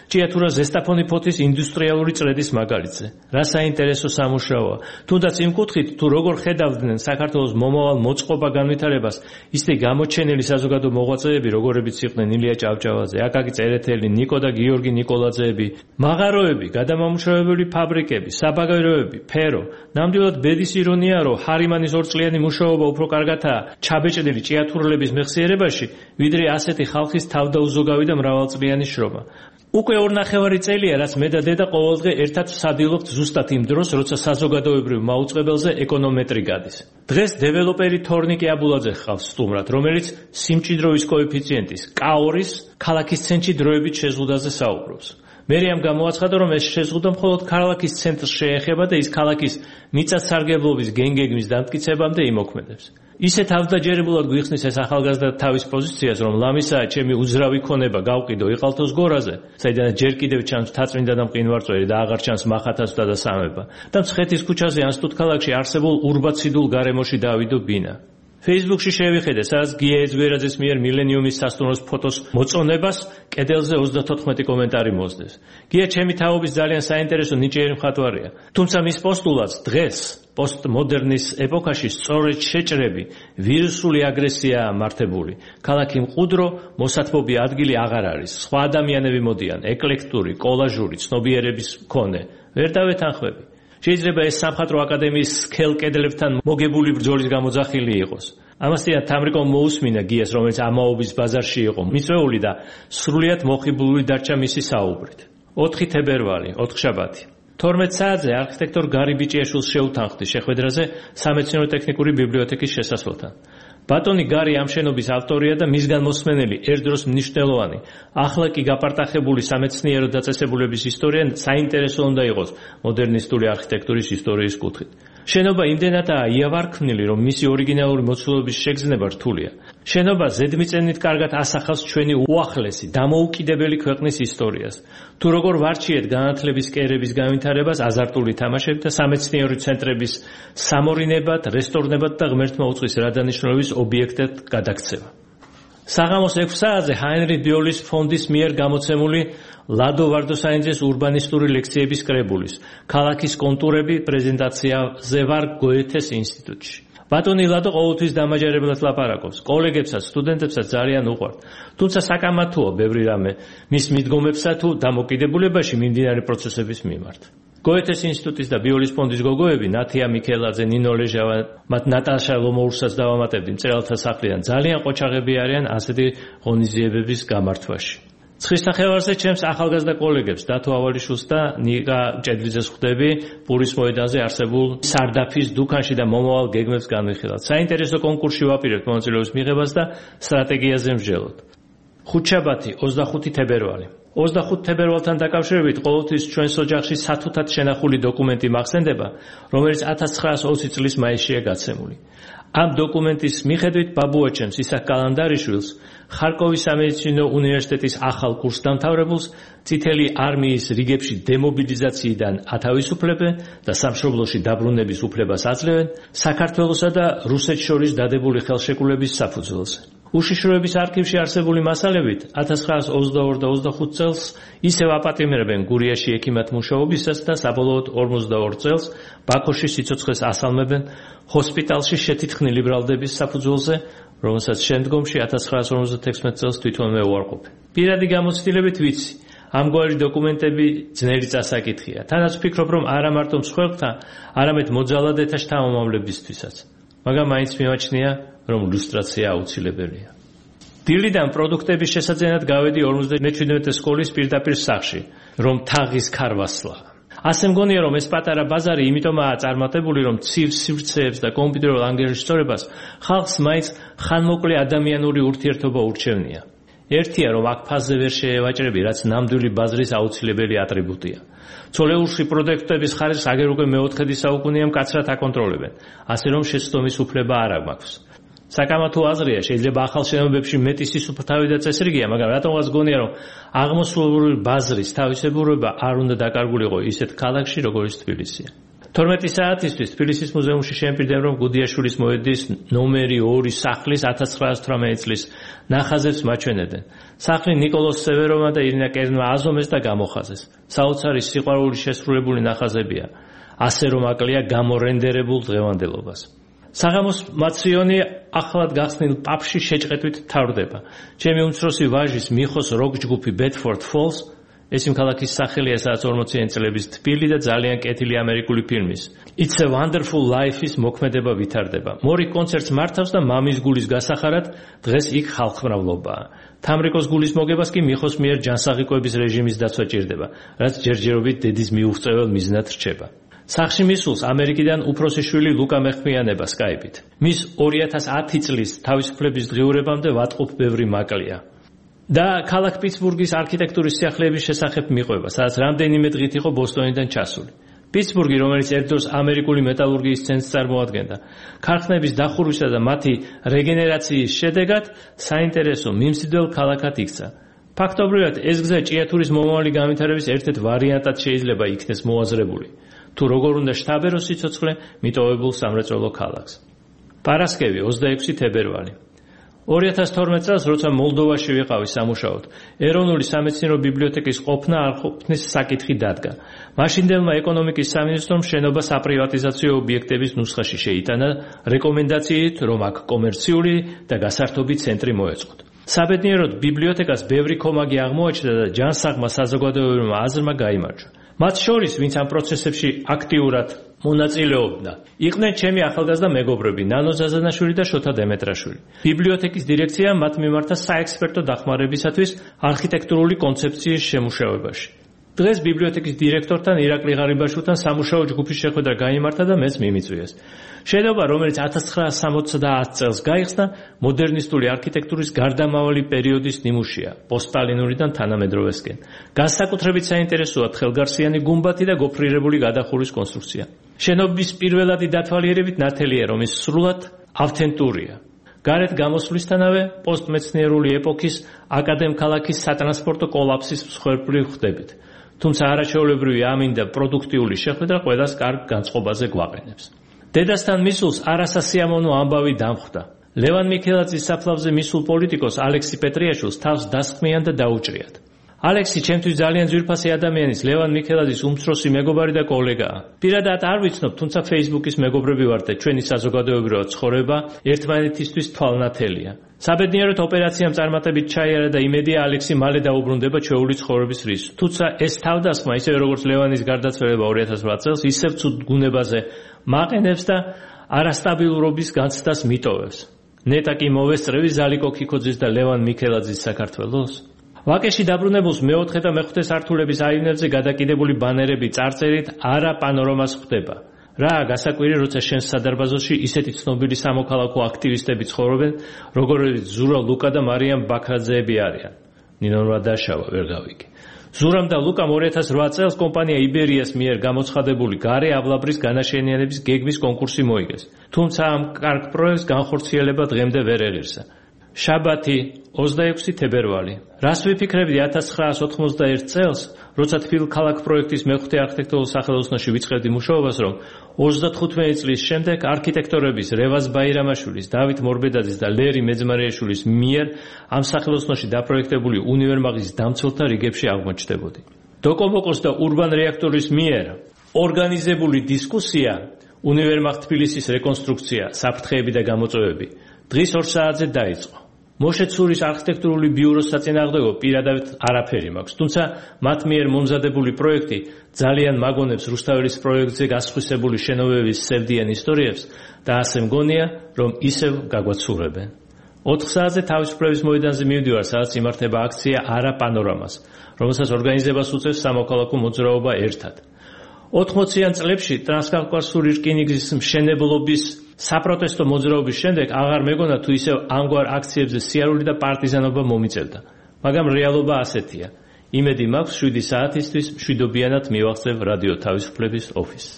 ჭიათურა ზესტაფონი ფოთის ინდუსტრიალური წრედის მაგალითზე. რა საინტერესო სამუშაოა. თუნდაც იმ კუთხით, თუ როგორ ხედავდნენ საქართველოს მომავალ მოწყობა განვითარებას, ისე გამოჩენილი საზოგადო მოღვაწეები, როგორებიც იყვნენ ილია ჭავჭავაძე, აკაკი წერეთელი, ნიკო და გიორგი ნიკოლაძეები, მაღაროები, გადამამუშავებელი ფაბრიკები, საბაგიროები, ფერო. ნამდვილად ბედის ირონია, რომ ჰარიმანის ორწლიანი მუშაობა უფრო კარგათაა ჩაბეჭდილი ჭიათურლების მეხსიერებაში, ვიდრე ასეთი ხალხის თავდაუზოგავი და მრავალწლიანი შრომა. უკვე ორნახევარი წელია, რაც მე და დედა ყოველდღე ერთად ვსადილობთ ზუსტად იმ დროს, როცა საზოგადოებრივ მაუწყებელზე ეკონომეტრი გადის. დღეს დეველოპერი თორნიკე აბულაძე ხავს სტუმრად, რომელიც სიმჭიდროვის კოეფიციენტის კაორის ქალაქის ცენტრში დროებით შეზღუდაზე საუბრობს. მერიამ გამოაცხადა, რომ ეს შეზღუდა მხოლოდ ქალაქის ცენტრს შეეხება და ის ქალაქის მიწათსარგებლობის გენგეგმის დამტკიცებამდე იმოქმედებს. ისე თავდაჯერებულად გვიხსნის ეს ახალგაზრდა თავის პოზიციას, რომ ლამისაა ჩემი უძრავი ქონება გავყიდო იყალთოს გორაზე, საიდანაც ჯერ კიდევ ჩანს მთაწმინდა და მყინვარწვერი და აღარ ჩანს მახათასთა და სამება. და მცხეთის ქუჩაზე ან სტუდქალაქში არსებულ ურბაციდულ გარემოში დავიდო ბინა. Facebook-ში შევიხედე, სადაც გია ეძგვერაძის მიერ მილენიუმის სასტუმროს ფოტოს მოწონებას კედელზე ოცდათოთხმეტი კომენტარი მოსდეს. გია ჩემი თაობის ძალიან საინტერესო ნიჭიერი მხატვარია. თუმცა მის პოსტულადს დღეს პოსტმოდერნის ეპოქაში სწორედ შეჭრები, ვირუსული აგრესიაა მართებული. ქალაქი მყუდრო, მოსათბობი ადგილი აღარ არის. სხვა ადამიანები მოდიან, ეკლექტური, კოლაჟური, ცნობიერების მქონე. ვერ დავეთანხმები. შეიძლება ეს სამხატვრო აკადემიის სქელ კედლებთან მოგებული ბრძოლის გამოძახილი იყოს. ამასთან თამრიკომ მოусმინა გიას, რომელიც ამაობის ბაზარში იყო მიწვეული და სრულიად მოხიბლული დარჩა მისი საუბრით. ოთხი თებერვალი, ოთხშაბათი. თორმეტ საათზე არქიტექტორ გარი ბიჭიაშვილს შეუთანხმდი შეხვედრაზე სამეცნიერო-ტექნიკური ბიბლიოთეკის შესასვლელთან. ბატონი გარი ამ შენობის ავტორია და მისგან მოსმენელი ერთდროს მნიშვნელოვანი, ახლა კი გაპარტახებული სამეცნიერო დაწესებულების ისტორია საინტერესო უნდა იყოს მოდერნისტული არქიტექტურის ისტორიის კუთხით. შენობა იმდენადაა იავარქმნილი, რომ მისი ორიგინალური მოცულობის შეგრძნება რთულია. შენობა ზედმიწევნით კარგად ასახავს ჩვენი უახლესი, დამოუკიდებელი ქვეყნის ისტორიას. თუ როგორ ვარჩიეთ განათლების კერების განვითარებას, აზარტული თამაშებით და სამეცნიერო ცენტრების სამორინებად, რესტორნებად და ღმერთმა უწყვის რადანიშნულების ობიექტად გადაქცევა. საღამოს ექვს საათზე ჰაინრიხ ბიოლის ფონდის მიერ გამოცემული ლადო ვარდოსაინძეს ურბანისტური ლექციების კრებულის ქალაქის კონტურები პრეზენტაციაზე ვარ გოეთეს ინსტიტუტში. ბატონი ლადო ყოველთვის დამაჯერებლად ლაპარაკობს, კოლეგებსაც, სტუდენტებსაც ძალიან უყვართ. თუმცა საკამათოა ბევრი რამე მის მიდგომებსა თუ დამოკიდებულებაში მიმდინარე პროცესების მიმართ. გოეთეს ინსტიტუტის და ბიოლის ფონდის გოგოები, ნათია მიქელაძე, ნინო ლეჟავა, მათ ნატაშა ლომოურსაც დავამატებდი მწერალთა სახლიდან, ძალიან ყოჩაღები არიან ასეთი ღონისძიებების გამართვაში. ცხრის ნახევარზე ჩემს ახალგაზრდა კოლეგებს დათო ავალიშვილს და ნიკა ჭედვიძეს ხვდები პურის მოედანზე არსებულ სარდაფის დუქანში და მომავალ გეგმებს განვიხილავთ. საინტერესო კონკურსში ვაპირებთ მონაწილეობის მიღებას და სტრატეგიაზე მსჯელოთ. ხუთშაბათი, ოცდახუთი თებერვალი. ოცდახუთ თებერვალთან დაკავშირებით ყოველთვის ჩვენს ოჯახში სათუთად შენახული დოკუმენტი მახსენდება, რომელიც ათას ცხრაასი ოცი წლის მაისშია გაცემული. ამ დოკუმენტის მიხედვით ბაბუაჩემს ისაკ კალანდარიშვილს, ხარკოვის სამედიცინო უნივერსიტეტის ახალ კურსდამთავრებულს, წითელი არმიის რიგებში დემობილიზაციიდან ათავისუფლებენ და სამშობლოში დაბრუნების უფლებას აძლევენ საქართველოსა და რუსეთს შორის დადებული ხელშეკრულების საფუძველზე. უშიშროების არქივში არსებული მასალებით ათას ცხრაასი ოცდაორი და ოცდახუთ წელს ისევ აპატიმრებენ გურიაში ექიმად მუშაობისას და საბოლოოდ ორმოცდაორ წელს ბაქოში სიცოცხლეს ასალმებენ ჰოსპიტალში შეთითხნილი ბრალდების საფუძველზე, რომელსაც შემდგომში ათას ცხრაასი ორმოცდათექვსმეტ წელს თვითონვე უარყოფენ. პირადი გამოცდილებით ვიცი, ამგვარი დოკუმენტები ძნელი წასაკითხია. თანაც ვფიქრობ, რომ არა მარტო მსხვერპლთა, არამედ მოძალადეთა შთამომავლებისთვისაც. მაგრამ მაინც მიმაჩნია, რომ ლუსტრაცია აუცილებელია. დილიდან პროდუქტების შესაძენად გავედი ორმოცდამეჩვიდმეტე სკოლის პირდაპირ სახლში, რომ თაღის ქარვასლა. ასე მგონია, რომ ეს პატარა ბაზარი იმიტომაა წარმატებული, რომ ცივ სივრცეებს და კომპიუტერულ ანგარიშწორებას ხალხს მაინც ხანმოკლე ადამიანური ურთიერთობა ურჩევნია. ერთია, რომ აქ ფაზზე ვერ შეევაჭრები, რაც ნამდვილი ბაზრის აუცილებელი ატრიბუტია. ცოლეულში პროდუქტების ხარისხს აგერ უკვე მეოთხედი საუკუნეა მკაცრად აკონტროლებენ, ასე რომ შეცდომის უფლება არ აქვს. საკამათო აზრია, შეიძლება ახალ შენობებში მეტი სისუფთავი და წესრიგია, მაგრამ რატომღაც გონია, რომ აღმოსავლური ბაზრის თავისებურება არ უნდა დაკარგულიყო ისეთ ქალაქში, როგორც თბილისია. თორმეტი საათისთვის თბილისის მუზეუმში შემპირდებ, რომ გუდიაშვილის მოედის ნომერი ორი სახლის ათას ცხრაასი თვრამეტი წლის ნახაზებს მაჩვენებდნენ. სახლი ნიკოლოზ სევეროვმა და ირინა კერნმა აზომეს და გამოხაზეს. საოცარი სიყვარული შესრულებული ნახაზებია, ასე რომ აკლია გამორენდერებულ დღევანდელობას. საღამოს მაციონი ახლად გახსნილ პაპში შეჭყეტვით თავდება. ჩემი უმცროსი ვაჟის მიხოს როკ ჯგუფი Bedford Falls, ეს იმ ქალაქის სახელია, სადაც ორმოციანი წლების თბილი და ძალიან კეთილი ამერიკული ფილმის It's a Wonderful Life-ის მოქმედება ვითარდება. მორი კონცერტს მართავს და მამის გულის გასახარად დღეს იქ ხალხმრავლობაა. თამრიკოს გულის მოგებას კი მიხოს მიერ ჯანსაღიკვების რეჟიმის დაცვა ჭირდება, რაც ჯერჯერობით დედის მიუღწეվել მიზნად რჩება. სახში მისულს ამერიკიდან უფროსი შვილი ლუკა მეხმიანება სკაიპით. მის ორი ათას ათი წლის თავისუფლების დღიურებამდე ვატყობ ბევრი მაკლია. და ქალაქ პიტსბურგის არქიტექტურის სიახლეების შესახებ მიყვება, სადაც რამდენიმე დღით იყო ბოსტონიდან ჩასული. პიტსბურგი, რომელიც ერთდროს ამერიკული მეტალურგიის ცენტრს წარმოადგენდა, ქარხნების დახურვისა და მათი რეგენერაციის შედეგად საინტერესო მიმზიდველ ქალაქად იქცა. ფაქტობრივად ეს გზა ჭიათურის მომავალი განვითარების ერთ-ერთ ვარიანტად შეიძლება იქნეს მოაზრებული. თუ როგორ უნდა შთაბეროს სიცოცხლე მიტოვებულ სამრეწველო ქალაქს. პარასკევი ოცდაექვსი თებერვალი. ორი ათას თორმეტ წელს, როცა მოლდოვაში ვიყავი სამუშაოდ, ეროვნული სამეცნიერო ბიბლიოთეკის ყოფნა არ ყოფნის საკითხი დადგა. მაშინდელმა ეკონომიკის სამინისტრომ შენობა საპრივატიზაციო ობიექტების ნუსხაში შეიტანა რეკომენდაციით, რომ აქ კომერციული და გასართობი ცენტრი მოეწყოთ. საბედნიეროდ ბიბლიოთეკას ბევრი კომაგი აღმოაჩნდა და ჯანსაღმა საზოგადოებრივმა აზრმა გაიმარჯვა. მათ შორის, ვინც ამ პროცესებში აქტიურად მონაწილეობდა, იყვნენ ჩემი ახალგაზრდა მეგობრები ნანო ზაზანაშვილი და შოთა დემეტრაშვილი. ბიბლიოთეკის დირექცია მათ მიმართა საექსპერტო დახმარებისათვის არქიტექტურული კონცეფციის შემუშავებაში. დღეს ბიბლიოთეკის დირექტორთან ირაკლი ღარიბაშვილთან სამუშაო ჯგუფის შეხვედრა გაიმართა და მეც მიმიწვიეს. შენობა, რომელიც ათას ცხრაასი სამოცდაათი წელს გაიხსნა, მოდერნისტული არქიტექტურის გარდამავალი პერიოდის ნიმუშია, პოსტსტალინურიდან თანამედროვესკენ. განსაკუთრებით საინტერესოა თხელგარსიანი გუმბათი და გოფრირებული გადახურვის კონსტრუქცია. შენობის პირველადი დათვალიერებით ნათელია, რომ ის სრულად ავთენტურია. გარეთ გამოსვლისთანავე პოსტმეცნიერული ეპოქის აკადემქალაქის სატრანსპორტო კოლაფსის მსხვერპლი ხდებით. თუმცა არაჩვეულებრივი ამინდა პროდუქტიული შეხვედრა ყველას კარგ განწყობაზე გვაყენებს. დედასთან მისულს არასასიამოვნო ამბავი დამხვდა. ლევან მიქელაძის საფლავზე მისულ პოლიტიკოს ალექსი პეტრიაშვილს თავს დასხმიან და დაუჭრიათ. ალექსი ჩემთვის ძალიან ძვირფასი ადამიანის, ლევან მიქელაძის უმცროსი მეგობარი და კოლეგაა. პირადად არ ვიცნობ, თუმცა Facebook-ის მეგობრები ვართ და ჩვენი საზოგადოებრივი ცხოვრება ერთმანეთისთვის თვალნათელია. საბედნიეროდ ოპერაციამ წარმატებით ჩაიარა და იმედია ალექსი მალე დაუბრუნდება ჩვეული ცხოვრების რისკს. თუმცა ეს თავდასხმა, ისევე როგორც ლევანის გარდაცვალება ორი ათას ოთხ წელს, ისევ ცუდ გუნებაზე მაყენებს და არასტაბილურობის განცდას მიტოვებს. ნეტა კი მოვესწრევი ზალიკო ქიქოძის და ლევან მიქელაძის საქართველოს. ვაკეში დაბრუნებულს მეოთხე და მეხუთე სართულების აივნებზე გადაკიდებული ბანერები წარწერით არა პანორამას ხვდება. რა გასაკვირი, როცა შენს სადარბაზოში ისეთი ცნობილი სამოქალაქო აქტივისტები ცხოვრობენ, როგორიც ზურა ლუკა და მარიამ ბაქრაძეები არიან. ნინო დაშავა ვერ გავიგე. ზურამ და ლუკამ ორი ათას ოთხ წელს კომპანია იბერიას მიერ გამოცხადებული გარე ავლაბრის განაშენიანების გეგმის კონკურსი მოიგეს. თუმცა ამ კარგ პროექტს განხორციელება დღემდე ვერ ეღირსა. შაბათი ოცდაექვსი თებერვალი. რას ვიფიქრებდი ათას ცხრაასი ოთხმოცდაერთი წელს, როცა თბილ ქალაქ პროექტის მეხუთე არქიტექტურულ სახელოსნოში ვიწყებდი მუშაობას, რომ ოცდათხუთმეტი წლის შემდეგ არქიტექტორების რევაზ ბაირამაშვილის, დავით მორბედაძის და ლერი მეძმარიაშვილის მიერ ამ სახელოსნოში დაპროექტებული უნივერმაღის დამცველთა რიგებში აღმოჩნდებოდი. დოკომოკოს და ურბან რეაქტორის მიერ ორგანიზებული დისკუსია, უნივერმაღ თბილისის რეკონსტრუქცია, საფრთხეები და გამოწვევები დღის ორ საათზე დაიწყო. მოშეცურის არქიტექტურული ბიუროს საწინააღმდეგო პირადად არაფერი მაქვს, თუმცა მათ მიერ მომზადებული პროექტი ძალიან მაგონებს რუსთაველის პროექტზე გასხვისებული შენობების სევდიან ისტორიებს და ასე მგონია, რომ ისევ გაგვაცურებენ. ოთხ საათზე თავისუფლების მოედანზე მივდივარ, სადაც იმართება აქცია არა პანორამას, რომელსაც ორგანიზებას უწევს სამოქალაქო მოძრაობა ერთად. ოთხმოციან წლებში ტრანსკავკასიური რკინიგზის მშენებლობის საპროტესტო მოძრაობის შემდეგ აღარ მეგონა თუ ისევ ამგვარ აქციებზე სიარული და პარტიზანობა მომიწევდა. მაგრამ რეალობა ასეთია. იმედი მაქვს შვიდი საათისთვის მშვიდობიანად მივახცევ რადიო თავისუფლების ოფისს.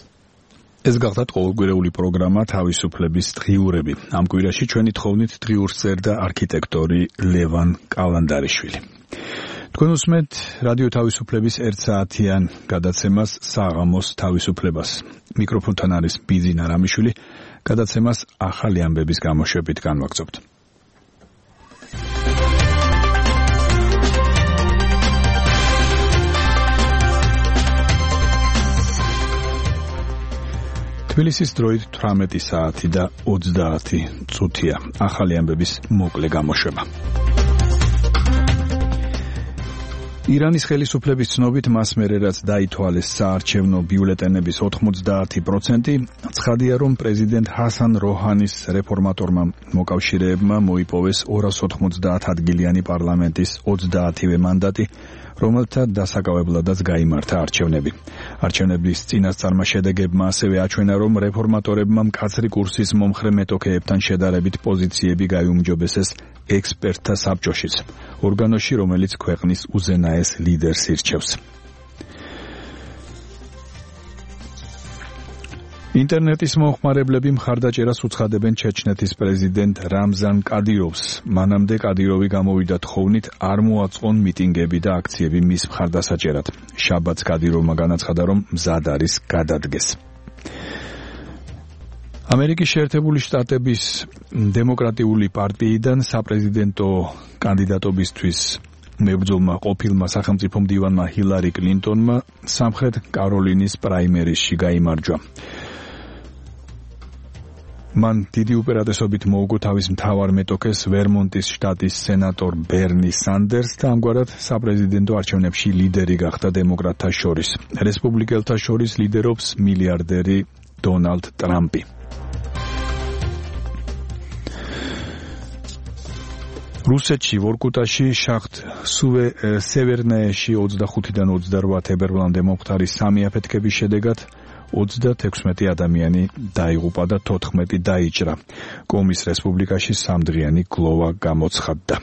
ეს გახდათ ყოველკვირეული პროგრამა თავისუფლების დღიურები. ამ კვირაში ჩვენი თხოვნით დღიურს წერდა არქიტექტორი ლევან კალანდარიშვილი. თქვენ უსმენთ რადიო თავისუფლების ერთ საათიან გადაცემას საღამოს თავისუფლებას. მიკროფონთან არის ბიძინა რამიშვილი. გადაცემას ახალი ამბების გამოშვებით განვაგრძობთ. თბილისის დროით თვრამეტი საათი და ოცდაათი წუთია. ახალი ამბების მოკლე გამოშვება. ირანის ხელისუფლების ცნობით მას მერე რაც დაითვალეს საარჩევნო ბიულეტენების ოთხმოცდაათი პროცენტი, ცხადია რომ პრეზიდენტ ჰასან როჰანის რეფორმატორმა მოკავშირეებმა მოიპოვეს ორას ოთხმოცდაათ ადგილიანი პარლამენტის ოცდაათივე მანდატი, რომელთა დასაკავებლადაც გაიმართა არჩევნები. არჩევნების წინასწარმა შედეგებმა ასევე აჩვენა, რომ რეფორმატორებმა მკაცრი კურსის მომხრე მეტოქეებთან შედარებით პოზიციები გაიუმჯობესეს ექსპერტთა საბჭოშიც, ორგანოში, რომელიც ქვეყნის უზენაეს ლიდერს ირჩევს. ინტერნეტის მომხმარებლები მხარდაჭერას უცხადებენ ჩეჩნეთის პრეზიდენტ რამზან კადიროვს. მანამდე კადიროვი გამოვიდა თხოვნით არ მოაწყონ მიტინგები და აქციები მის მხარდასაჭერად. შაბათს კადიროვმა განაცხადა, რომ მზად არის გადადგეს. ამერიკის შეერთებული შტატების დემოკრატიული პარტიიდან საპრეზიდენტო კანდიდატობისთვის მებრძოლმა ყოფილმა სახელმწიფო მდივანმა ჰილარი კლინტონმა სამხრეთ კაროლინის პრაიმერისში გაიმარჯვა. მან დიდი უპირატესობით მოუგო თავის მთავარ მეტოქეს ვერმონტის შტატის სენატორ ბერნი სანდერსს და ამგვარად საპრეზიდენტო არჩევნებში ლიდერი გახდა დემოკრატთა შორის. რესპუბლიკელთა შორის ლიდერობს მილიარდერი დონალდ ტრამპი. რუსეთში ვორკუტაში შახტ სუვე სევერნაეში ოცდახუთიდან ოცდარვა თებერვლამდე მომხდარი სამი აფეთქების შედეგად ოცდათექვსმეტი ადამიანი დაიღუპა და თოთხმეტი დაიჭრა. კომის რესპუბლიკაში სამდღიანი გლოვა გამოცხადდა.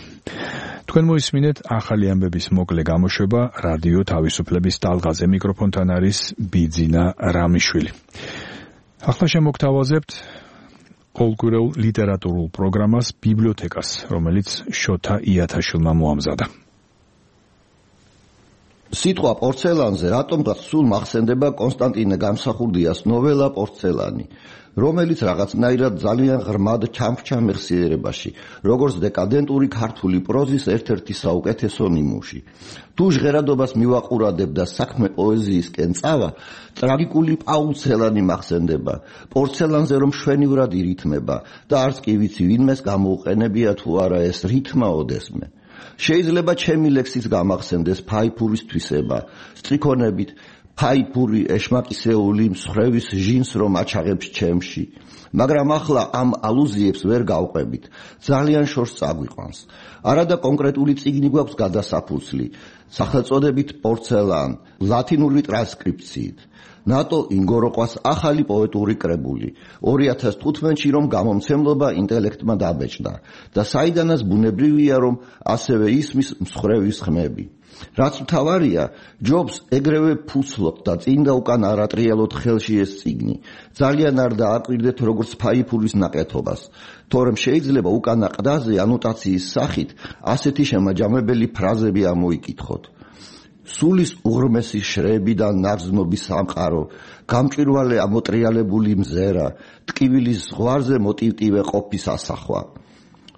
თქვენ მოისმინეთ ახალი ამბების მოკლე გამოშვება რადიო თავისუფლების ტალღაზე. მიკროფონთან არის ბიძინა რამიშვილი. ახლა შემოგთავაზებთ ყოველკვირეულ ლიტერატურულ პროგრამას ბიბლიოთეკას, რომელიც შოთა იათაშვილმა მოამზადა. სიტყვა პორცელანზე რატომღაც სულ მახსენდება კონსტანტინე გამსახურდიას ნოველა პორცელანი, რომელიც რაღაცნაირად ძალიან ღრმად ჩამრჩა მეხსიერებაში, როგორც დეკადენტური ქართული პროზის ერთ-ერთი საუკეთესო ნიმუში. თუ ჟღერადობას მივაყურებდა საქმე პოეზიისკენ წავა, ტრაგიკული პაულცელანი მახსენდება, პორცელანზე რომ შვენივრად ირითმება და არც კი ვიცი ვინმეს გამოუყენებია თუ არა ეს რითმა ოდესმე. შეიძლება ჩემი ლექსის გამახსენდეს ფაიფურის თვისება, სტრიქონებით ფაიფური ეშმაკისეული მსხვერვის ჟინს რომ აჩაღებს ჩემში, მაგრამ ახლა ამ ალუზიებს ვერ გავყვებით, ძალიან შორს წაგვიყვანს. არადა კონკრეტული წიგნი გვაქვს გადასაფუძვლი, სახელწოდებით პორცელან, ლათინური ტრანსკრიფციით. ნატო ინგოროყვას ახალი პოეტური კრებული, ორი ათას თხუთმეტში რომ გამომცემლობა ინტელექტმა დაბეჭდა და საიდანაც ბუნებრივია რომ ასევე ისმის მსხვერვის ხმები. რაც მთავარია, ჯობს ეგრევე ფუცლობთ და წინ და უკან არ ატრიალოთ ხელში ეს წიგნი. ძალიან არ დააკვირდეთ როგორც ფაიფურის ნაკეთობას, თორემ შეიძლება უკანა ყდაზე ანოტაციის სახით ასეთი შემაჯამებელი ფრაზები ამოიკითხოთ. სულის უღრმესი შრები და ნარზნობის სამყარო, გამჭვირვალე ამოტრიალებული მზერა, ტკივილის ზღვარზე მოტივტივე ყოფის ასახვა.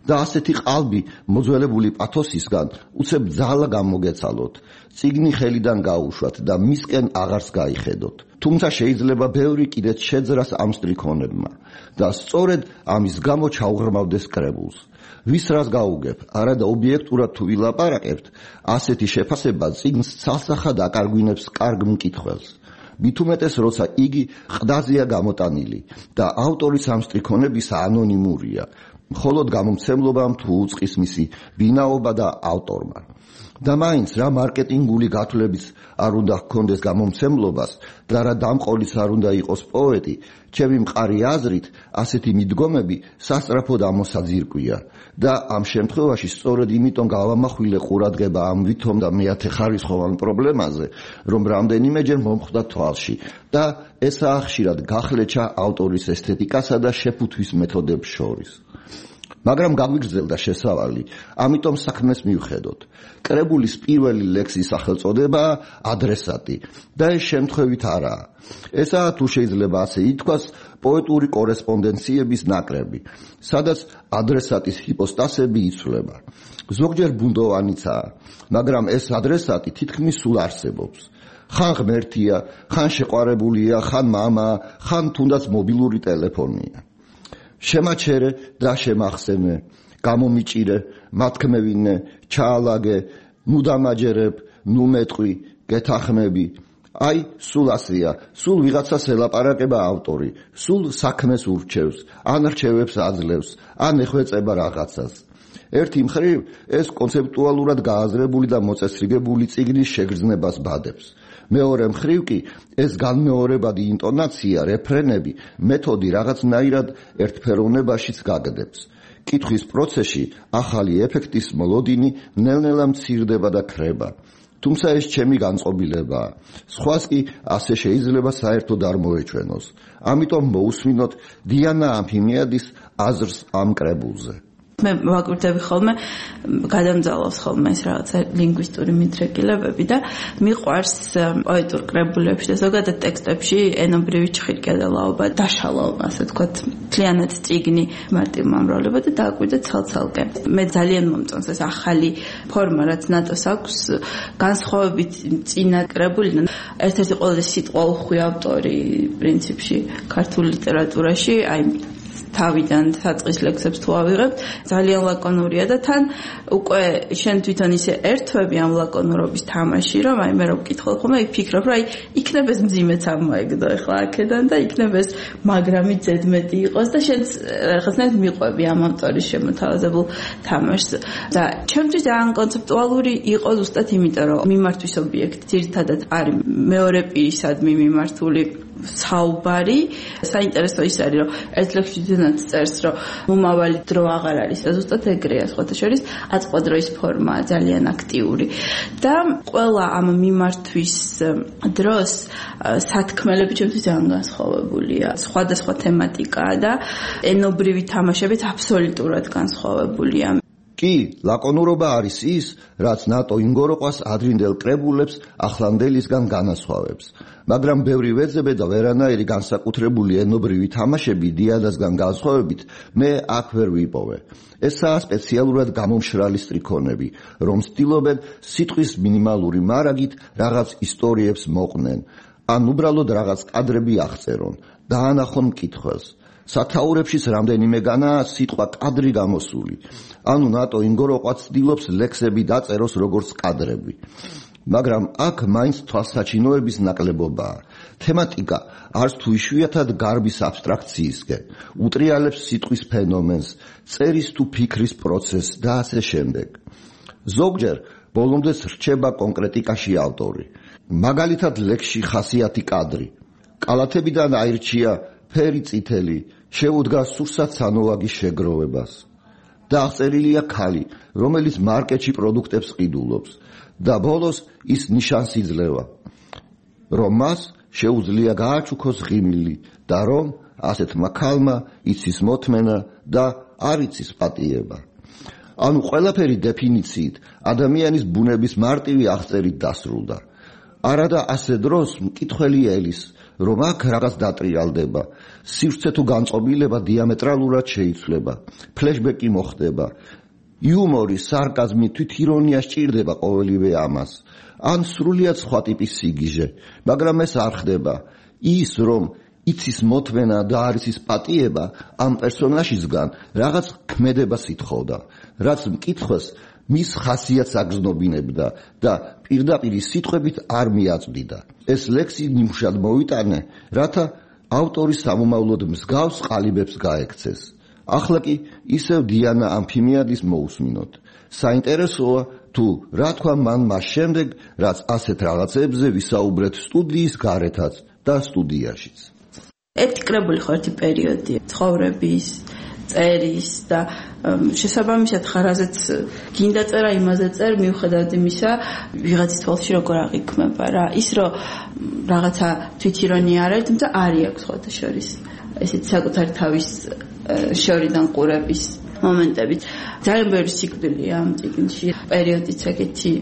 და ასეთი ყალბი მოძველებული პათოსისგან უცებ ძალა გამოგეცალოთ, წიგნი ხელიდან გაუშვათ და მისკენ აღარს გაიხედოთ. თუმცა შეიძლება ბევრი კიდეც შეძრას ამ სტრიქონებმა და სწორედ ამის გამო ჩაუღრმავდეს კრებულს. ვის რას გაუგებ, არადა ობიექტურად თუ ვილაპარაკებთ, ასეთი შეფასება წიგნს ცალსახად აკარგვინებს კარგ მკითხველს. მით უმეტეს, როცა იგი ყდაზეა გამოტანილი და ავტორის ამ სტრიქონებისა ანონიმურია, მხოლოდ გამომცემლობამ თუ უწყის მისი ვინაობა და ავტორმა. და მაინც რა მარკეტინგული გათვლებიც არ უნდა ჰქონდეს გამომცემლობას და რა დამყოლის არ უნდა იყოს პოეტი, ჩემი მყარი აზრით, ასეთი მიდგომები სასწრაფოდ ამოსაძირკვია და ამ შემთხვევაში სწორედ იმიტომ გავამახვილე ყურადღება ამ ვითომ და მეათე ხარისხოვან პრობლემაზე, რომ რამდენიმეჯერ მომხვდა თვალში და ესაა ხშირად გახლეჩა ავტორის ესთეტიკასა და შეფუთვის მეთოდებს შორის. მაგრამ გაგვიგრძელდა შესავალი, ამიტომ საქმეს მივხედოთ. კრებულის პირველი ლექსის სახელწოდებაა ადრესატი და ეს შემთხვევით არაა. ესაა, თუ შეიძლება ასე ითქვას, პოეტური კორესპონდენციების ნაკრები, სადაც ადრესატის ჰიპოსტასები იცვლება. ზოგჯერ ბუნდოვანიცაა, მაგრამ ეს ადრესატი თითქმის სულ არსებობს. ხან ღმერთია, ხან შეყვარებულია, ხან მამა, ხან თუნდაც მობილური ტელეფონია. შემაჩერე და შემახსენე, გამომიჭირე, მათქმევინე, ჩაალაგე, ნუ დამაჯერებ, ნუ მეტყვი, გეთახმები. აი, სულ ასეა, სულ ვიღაცას ელაპარაკება ავტორი, სულ საქმეს ურჩევს, ან რჩევებს აძლევს, ან ეხვეწება რაღაცას. ერთი მხრივ ეს კონცეპტუალურად გააზრებული და მოწესრიგებული წიგნის შეგრძნებას ბადებს. მეორე მხრივ კი ეს განმეორებადი ინტონაცია, რეფრენები, მეთოდი რაღაცნაირად ერთფეროვნებაშიც გაგდებს. კითხვის პროცესში ახალი ეფექტის მოლოდინი ნელ-ნელა მცირდება და ქრება. თუმცა ეს ჩემი განწყობილებაა. სხვას კი ასე შეიძლება საერთოდ არ მოეჩვენოს. ამიტომ მოусმინოთ დიანა ამფიმიადის აზრს ამ კრებულზე. მე ვაკვირდები ხოლმე, გადამძალავს ხოლმე ეს რაღაცა ლინგვისტური მიდრეკილებები და მიყვარს პოეტურ კრებულებში და ზოგადად ტექსტებში ენობრივი ჩხირკედელაობა, დაშალაობა, ასე ვთქვათ, მთლიანად წიგნი მარტივმამრავლება და დააკვირდა ცალ-ცალკე. მე ძალიან მომწონს ეს ახალი ფორმა, რაც ნატოს აქვს, განსხვავებით წინა კრებულიდან. ერთ-ერთი ყველაზე სიტყვაუხვი ავტორი პრინციპში ქართულ ლიტერატურაში, აი თავიდან საწყის ლექსებს თუ ავიღებთ, ძალიან ლაკონურია და თან უკვე შენ თვითონ ისე ერთვები ამ ლაკონურობის თამაში, რომ აი მე რო ვკითხავ ხოლმე, იქ ფიქრობ, რომ აი იქნებ ეს მძიმეც ამოეგდო ახლა აქედან და იქნებ ეს მაგრამი ზედმეტი იყოს და შენ რაღაცნაირად მიყვები ამ ავტორის შემოთავაზებულ თამაშს. და ჩემთვის ძალიან კონცეპტუალური იყო ზუსტად იმიტომ, რომ მიმართვის ობიექტი ძირითადად არის მეორე პირისადმი მიმართული საუბარი. საინტერესო ის არის, რომ ერთ ლექსში ძნად წერს, რომ მომავალი დრო აღარ არის და ზუსტად ეგრეა, სხვათა შორის აწყვადროის ფორმაა ძალიან აქტიური. და ყველა ამ მიმართვის დროს სათქმელები ჩემთვის ძალიან განსხვავებულია. სხვადასხვა თემატიკაა და ენობრივი თამაშებით აბსოლუტურად განსხვავებულია. კი, ლაკონურობა არის ის, რაც ნატო ინგოროყვას ადრინდელ კრებულებს ახლანდელისგან განასხვავებს. მაგრამ ბევრი ვეძებე და ვერანაირი განსაკუთრებული ენობრივი თამაშები დიადასგან განსხვავებით მე აქ ვერ ვიპოვე. ესაა სპეციალურად გამომშრალი სტრიქონები, რომ ცდილობენ სიტყვის მინიმალური მარაგით რაღაც ისტორიებს მოყვნენ, ან უბრალოდ რაღაც კადრები აღწერონ, დაანახონ მკითხველს. სათაურებშიც რამდენიმეგანაა სიტყვა კადრი გამოსული. ანუ ნატო ინგოროყვა ცდილობს ლექსები დაწეროს როგორც კადრები. მაგრამ აქ მაინც თვალსაჩინოების ნაკლებობაა. თემატიკა არც თუ იშვიათად გარბის აბსტრაქციისკენ, უტრიალებს სიტყვის ფენომენს, წერის თუ ფიქრის პროცესს და ასე შემდეგ. ზოგჯერ ბოლომდე რჩება კონკრეტიკაში ავტორი. მაგალითად ლექსში ხასიათი კადრი. კალათებიდან აირჩია ფერი წითელი, შეუდგა სურსათ სანოვაგის შეგროვებას. და აღწერილია ქალი, რომელიც მარკეტში პროდუქტებს ყიდულობს და ბოლოს ის ნიშანს იძლევა, რომ მას შეუძლია გააჩუქოს ღიმილი და რომ ასეთმა ქალმა იცის მოთმენა და არ იცის პატიება. ანუ ყველაფერი დეფინიციით ადამიანის ბუნების მარტივი აღწერით დასრულდა. არადა ასე დროს მკითხველი ელის, რომ აქ რაღაც დატრიალდება. სივრცე თუ განწყობილება დიამეტრალურად შეიცვლება. ფლეშბეკი მოხდება. იუმორი, სარკაზმი, თვითირონია სჭირდება ყოველივე ამას. ან სრულიად სხვა ტიპის სიგიჟე, მაგრამ ეს არ ხდება. ის რომ იცის მოთმენა და არის ის პატიება, ამ პერსონაჟისგან რაღაც ქმედებას ითხოვდა, რაც მკითხვას მის ხასიათს აგრძნობინებდა და პირდაპირ სიტყვებით არ მიაწვდიდა. ეს ლექსი ნიმუშად მოვიტანე, რათა ავტორის სამომავლოდ მსგავს ყალიბებს გაექცეს. ახლა კი ისევ დიანა ამფიმიადის მოусმინოთ. საინტერესოა თუ რა თქვა მან მას შემდეგ, რაც ასეთ რაღაცებზე ვისაუბრეთ სტუდიის გარეთაც და სტუდიაშიც. ერთი კრებული ხო ერთი პერიოდი ცხოვრების, წერის და შესაბამისად ხარაზეც გინდა წერა იმაზე წერ მიუხედავად იმისა ვიღაცის თვალში როგორ აღიქმება რა ის რომ რაღაცა თვითირონია არის თუმცა არის აქვს ხოთა შორის ესეც საკუთარი თავის შორიდან ყურების მომენტებით ძალიან ბევრი სიკვდილია ამ წიგნში პერიოდიც ეგეთი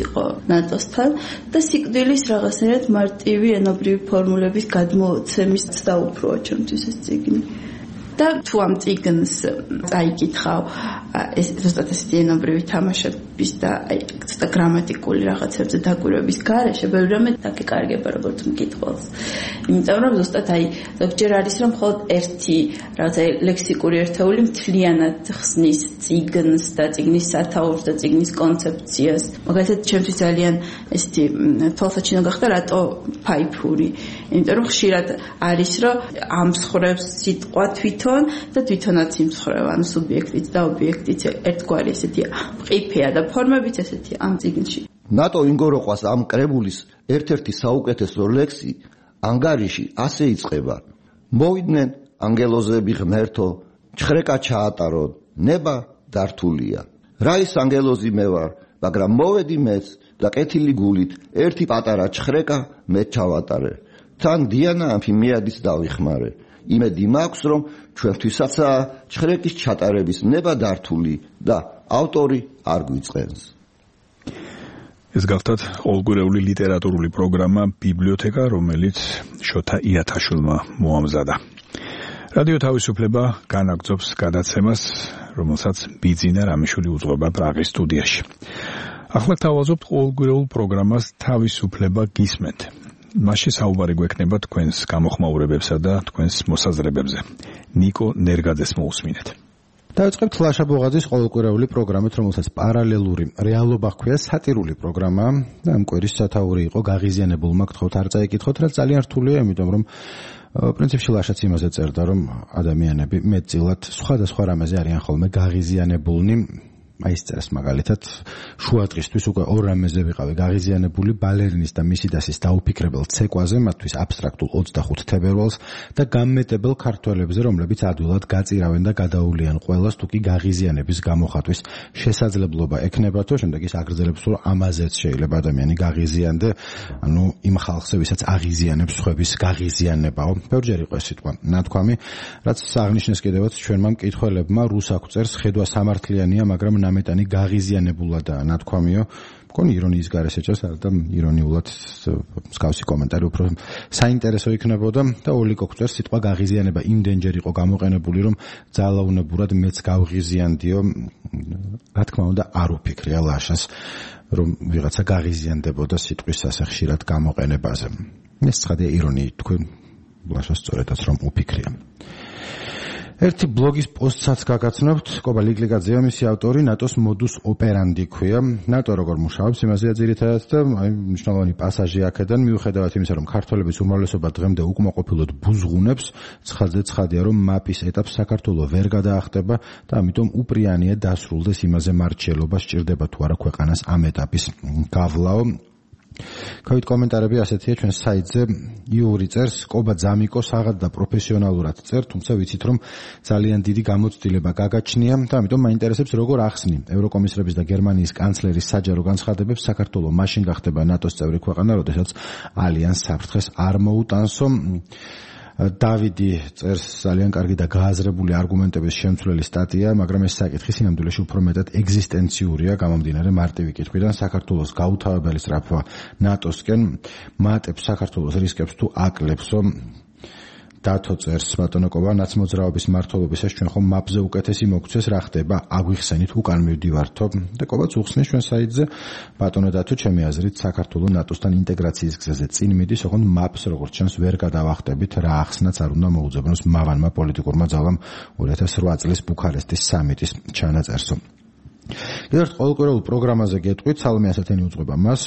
იყო ნატოსთან და სიკვდილის რაღაცნაირად მარტივი ენობრივი ფორმულების გადმოცემის და უფროა ჩემთვის ეს წიგნი და თუ ამ წიგნს წაიკითხავ ეს ზუსტად ესეთი ენობრივი თამაშების და აი ცოტა გრამატიკული რაღაცებზე დაკვირვების გარეშე ბევრი რამე დაგეკარგება როგორც მკითხველს იმიტომ რომ ზუსტად აი ზოგჯერ არის რომ მხოლოდ ერთი რაღაცა ლექსიკური ერთეული მთლიანად ხსნის წიგნს და წიგნის სათაურს და წიგნის კონცეფციას მაგალითად ჩემთვის ძალიან ესეთი თვალსაჩინო გახდა რატო ფაიფური იმიტომ რომ ხშირად არის რომ ამსხრევს სიტყვა თვითონ და თვითონაც იმსხრევა ანუ სუბიექტიც და ობიექტიც ერთგვარი ესეთი მყიფეა და ფორმებიც ესეთი ამ წიგნში. ნატო ინგოროყვას ამ კრებულის ერთ-ერთი საუკეთესო ლექსი ანგარიში ასე იწყება. მოვიდნენ ანგელოზები ღმერთო, ჩხრეკა ჩაატარო, ნება დართულია. რა ის ანგელოზი მე ვარ, მაგრამ მოვედი მეც და კეთილი გულით ერთი პატარა ჩხრეკა მე ჩავატარე. თან დიანა ამფიმიადის დავიხმარე. იმედი მაქვს რომ ჩვენთვისაცაა ჩხრეკის ჩატარების ნება დართული და ავტორი არ გვიწყენს. ეს გახლავთ ყოველგვარეული ლიტერატურული პროგრამა ბიბლიოთეკა, რომელიც შოთა იათაშვილმა მოამზადა. რადიო თავისუფლება განაგრძობს გადაცემას, რომელსაც ბიძინა რამიშვილი უძღვება პრაღის სტუდიაში. ახლა თავაზობთ ყოველგვარეულ პროგრამას თავისუფლება გისმენთ. მასში საუბარი გვექნება თქვენს გამოხმაურებებსა და თქვენს მოსაზრებებზე. ნიკო ნერგაძეს მოусმინეთ. დავიწყებთ ლაშა ბოღაძის ყოველკვირეული პროგრამით, რომელსაც პარალელური რეალობა ჰქვია, სატირული პროგრამა და ამ კვირის სათაური იყო გაღიზიანებულმა გთხოვთ არ წაიკითხოთ, რაც ძალიან რთულია, იმიტომ რომ პრინციპში ლაშაც იმაზე წერდა, რომ ადამიანები მეტწილად სხვადასხვა რამეზე არიან ხოლმე გაღიზიანებულნი. აი ეს წერს მაგალითად შუადღისთვის უკვე ორ რამეზე ვიყავი გაღიზიანებული ბალერინის და მისი დასის დაუფიქრებელ ცეკვაზე, მათთვის აბსტრაქტულ ოცდახუთ თებერვალს და გამმეტებელ ქართველებზე, რომლებიც ადვილად გაწირავენ და გადაულიან ყველას, თუ კი გაღიზიანების გამოხატვის შესაძლებლობა ექნებათო, შემდეგ ის აგრძელებს, რომ ამაზეც შეიძლება ადამიანი გაღიზიანდე, ანუ იმ ხალხზე, ვისაც აღიზიანებს სხვების გაღიზიანებაო. ბევრჯერ იყო ეს სიტყვა ნათქვამი, რაც აღნიშნეს კიდევაც ჩვენმა მკითხველებმა, რუსაკ წერს ხედვა სამართლიანია, მაგრამ ნამეტანი გაღიზიანებულადაა ნათქვამიო. მგონი ირონიის გარეშე ეჭვს არ და ირონიულად მსგავსი კომენტარი უფრო საინტერესო იქნებოდა და ოლიკო წერს სიტყვა გაღიზიანება იმდენჯერ იყო გამოყენებული, რომ ძალაუნებურად მეც გავღიზიანდიო. რა თქმა უნდა არ უფიქრია ლაშას, რომ ვიღაცა გაღიზიანდებოდა სიტყვის ასე ხშირად გამოყენებაზე. ეს ცხადია ირონიით თქვენ ლაშას სწორედაც რომ უფიქრია. ერთი ბლოგის პოსტსაც გაგაცნობთ, კობა ლიკლიკაძეა მისი ავტორი, ნატოს მოდუს ოპერანდი ქვია. ნატო როგორ მუშაობს, იმაზეა ძირითადად და აი მნიშვნელოვანი პასაჟი აქედან, მიუხედავად იმისა, რომ ქართველების უმრავლესობა დღემდე უკმაყოფილოდ ბუზღუნებს, ცხადზე ცხადია, რომ მაპის ეტაპს საქართველოს ვერ გადაახტება და ამიტომ უპრიანია დასრულდეს იმაზე მარჩელობა, სჭირდება თუ არა ქვეყანას ამ ეტაპის გავლაო. Covid კომენტარები ასეთია ჩვენ საიტზე. იური წერს, კობა ძამიკო საღად და პროფესიონალურად წერ, თუმცა ვიცით რომ ძალიან დიდი გამოცდილება გაგაჩნია და ამიტომ მაინტერესებს როგორ ახსნი ევროკომისრების და გერმანიის კანცლერის საჯარო განცხადებებს საქართველოს მაშინ გახდება ნატოს წევრი ქვეყანა, როდესაც ალიანს საფრთხეს არ მოუტანსო. დავიდი წერს ძალიან კარგი და გააზრებული არგუმენტების შემცვლელი სტატია, მაგრამ ეს საკითხი სინამდვილეში უფრო მეტად ეგზისტენციურია, გამომდინარე მარტივი კითხვიდან საქართველოს გაუთავებელი სწრაფვა ნატოსკენ მატებს საქართველოს რისკებს თუ აკლებსო. დათო წერს ბატონო კობა ნაცმოძრაობის მმართველობისას ჩვენ ხომ მაპზე უკეთესი მოგცეს რა ხდება აგვიხსენით უკან მივდივართო და კობაც უხსნის ჩვენ საიტზე ბატონო დათო ჩემი აზრით საქართველოს ნატოსთან ინტეგრაციის გზაზე წინ მიდის ოღონდ მაპს როგორც ჩანს ვერ გადავახტებით რა ახსნაც არ უნდა მოუძებნოს მავანმა პოლიტიკურმა ძალამ ორი ათას ოთხ წლის ბუქარესტის სამიტის ჩანაწერსო. კიდევ ერთ ყოველკვირეულ პროგრამაზე გეტყვით, სალომე ასათენი უძღვება მას,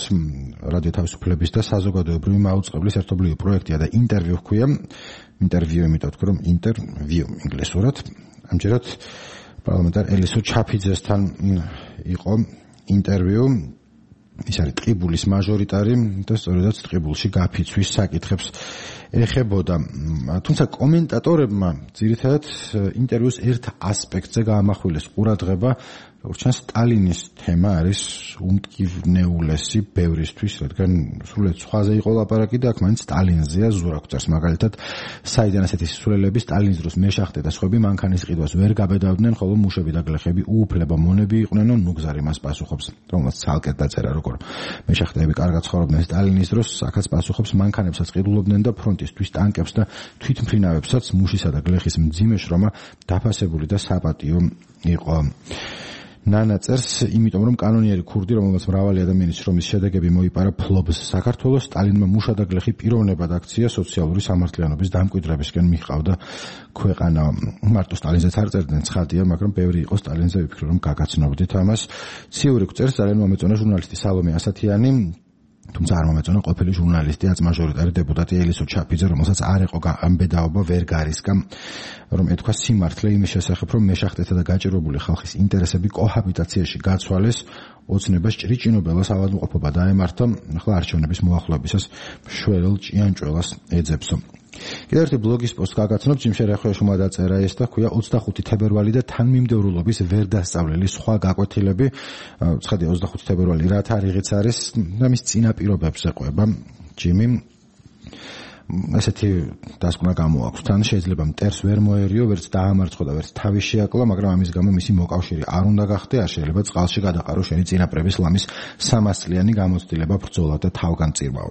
რადიო თავისუფლების და საზოგადოებრივი მაუწყებლის ერთობლივი პროექტია და ინტერვიუ ჰქვია. ინტერვიუ იმიტომ ვთქვი, რომ ინტერვიუ ინგლისურად. ამჯერად პარლამენტარ ელისო ჩაფიძესთან იყო ინტერვიუ. ის არის ტყიბულის მაჟორიტარი და სწორედაც ტყიბულში გაფიცვის საკითხებს ეხებოდა. თუმცა კომენტატორებმა ძირითადად ინტერვიუს ერთ ასპექტზე გაამახვილეს ყურადღება, როგორც ჩანს სტალინის თემა არის უმტკივნეულესი ბევრისთვის, რადგან სრულიად სხვაზე იყო ლაპარაკი და აქ მაინც სტალინზეა ზურაკ წერს მაგალითად, საიდან ასეთი სისულელები სტალინის დროს მეშახტე და სხვები მანქანის ყიდვას ვერ გაბედავდნენ, ხოლო მუშები და გლეხები უუფლება მონები იყვნენ, ნუგზარი მას პასუხობს, რომელსაც ცალკე დაწერა როგორ მეშახტეები კარგად ცხოვრობდნენ სტალინის დროს, აქაც პასუხობს მანქანებსაც ყიდულობდნენ და ფრონტისთვის ტანკებს და თვითმფრინავებსაც მუშისა და გლეხის მძიმე შრომა დაფასებული და საპატიო იყო. ნანა წერს, იმიტომ რომ კანონიერი ქურდი, რომელმაც მრავალი ადამიანის შრომის შედეგები მოიპარა ფლობს საქართველოს, სტალინმა მუშა და გლეხი პიროვნებად აქცია სოციალური სამართლიანობის დამკვიდრებისკენ მიჰყავდა ქვეყანა. მარტო სტალინზეც არ წერდნენ, ცხადია, მაგრამ ბევრი იყო სტალინზე, ვიფიქრე რომ გაგაცნობდით ამას. ციურიკ წერს, ძალიან მომეწონა ჟურნალისტი სალომე ასათიანი, თუმცა არ მომეწონა ყოფილი ჟურნალისტი აწმაჟორიტარი დეპუტატი ელისო ჩაფიძე, რომელსაც არ იყო ამბედაობა ვერ გარისკა, რომ ეთქვა სიმართლე იმის შესახებ, რომ მეშახტეთა და გაჭირვებული ხალხის ინტერესები კოჰაბიტაციაში გაცვალეს, ოცნებას ჭრიჭინობელას ავადმყოფობა დაემართა, ახლა არჩევნების მოახლოებისას მშველელ ჭიანჭველას ეძებსო. კიდევ ერთი ბლოგის პოსტ გაგაცნობ, ჯიმშე რეხვეშუმა დაწერა ეს და ქვია ოცდახუთი თებერვალი და თანმიმდევრულობის ვერ დასწავლელი სხვა გაკვეთილები. ცხადია ოცდახუთი თებერვალი რა თარიღიც არის და მის წინაპირობებს ეყვება ჯიმი. ესეთი დასკვნა გამოაქვს. თან შეიძლება მტერს ვერ მოერიო, ვერც დაამარცხო და ვერც თავი შეაკლა, მაგრამ ამის გამო მისი მოკავშირე არ უნდა გახდე, არ შეიძლება წყალში გადაყარო შენი წინაპრების ლამის სამას წლიანი გამოცდილება ბრძოლა და თავგანწირვაო.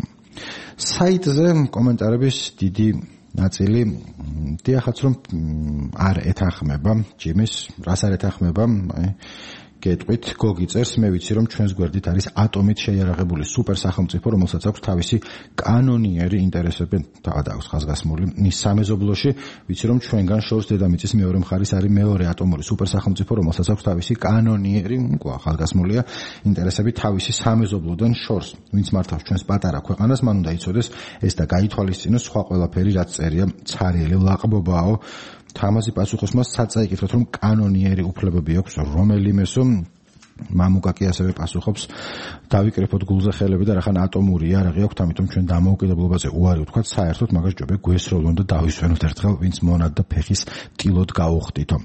საიტზე კომენტარების დიდი ნაწილი დიახაც რომ არ ეთანხმება ჯიმის, რას არ ეთანხმება, აი გეტყვით, გოგი წერს, მე ვიცი რომ ჩვენს გვერდით არის ატომით შეიარაღებული სუპერ სახელმწიფო, რომელსაც აქვს თავისი კანონიერი ინტერესები, თავად აქვს ხაზგასმული მის სამეზობლოში, ვიცი რომ ჩვენგან შორს დედამიწის მეორე მხარის არის მეორე ატომური სუპერ სახელმწიფო, რომელსაც აქვს თავისი კანონიერი, უკვე ხაზგასმულია ინტერესები თავისი სამეზობლოდან შორს. ვინც მართავს ჩვენს პატარა ქვეყანას, მან უნდა იცოდეს ეს და გაითვალისწინოს სხვა ყველაფერი, რაც წერია ცარიელი ლაყბობაო. თამაზი პასუხობს მას საწაიკითროთ რომ კანონიერი უფლებები აქვს რომელიმესო. მამუკა კი ასევე პასუხობს, დავიკრიფოთ გულზე ხელები და რახან ატომური იარაღი აქვს, ამიტომ ჩვენ დამოუკიდებლობაზე უარი ვთქვათ, საერთოდ მაგას ჯობია გვესროლონ და დავისვენოთ ერთხელ, ვინც მონად და ფეხის ტილოდ გაუხდითო.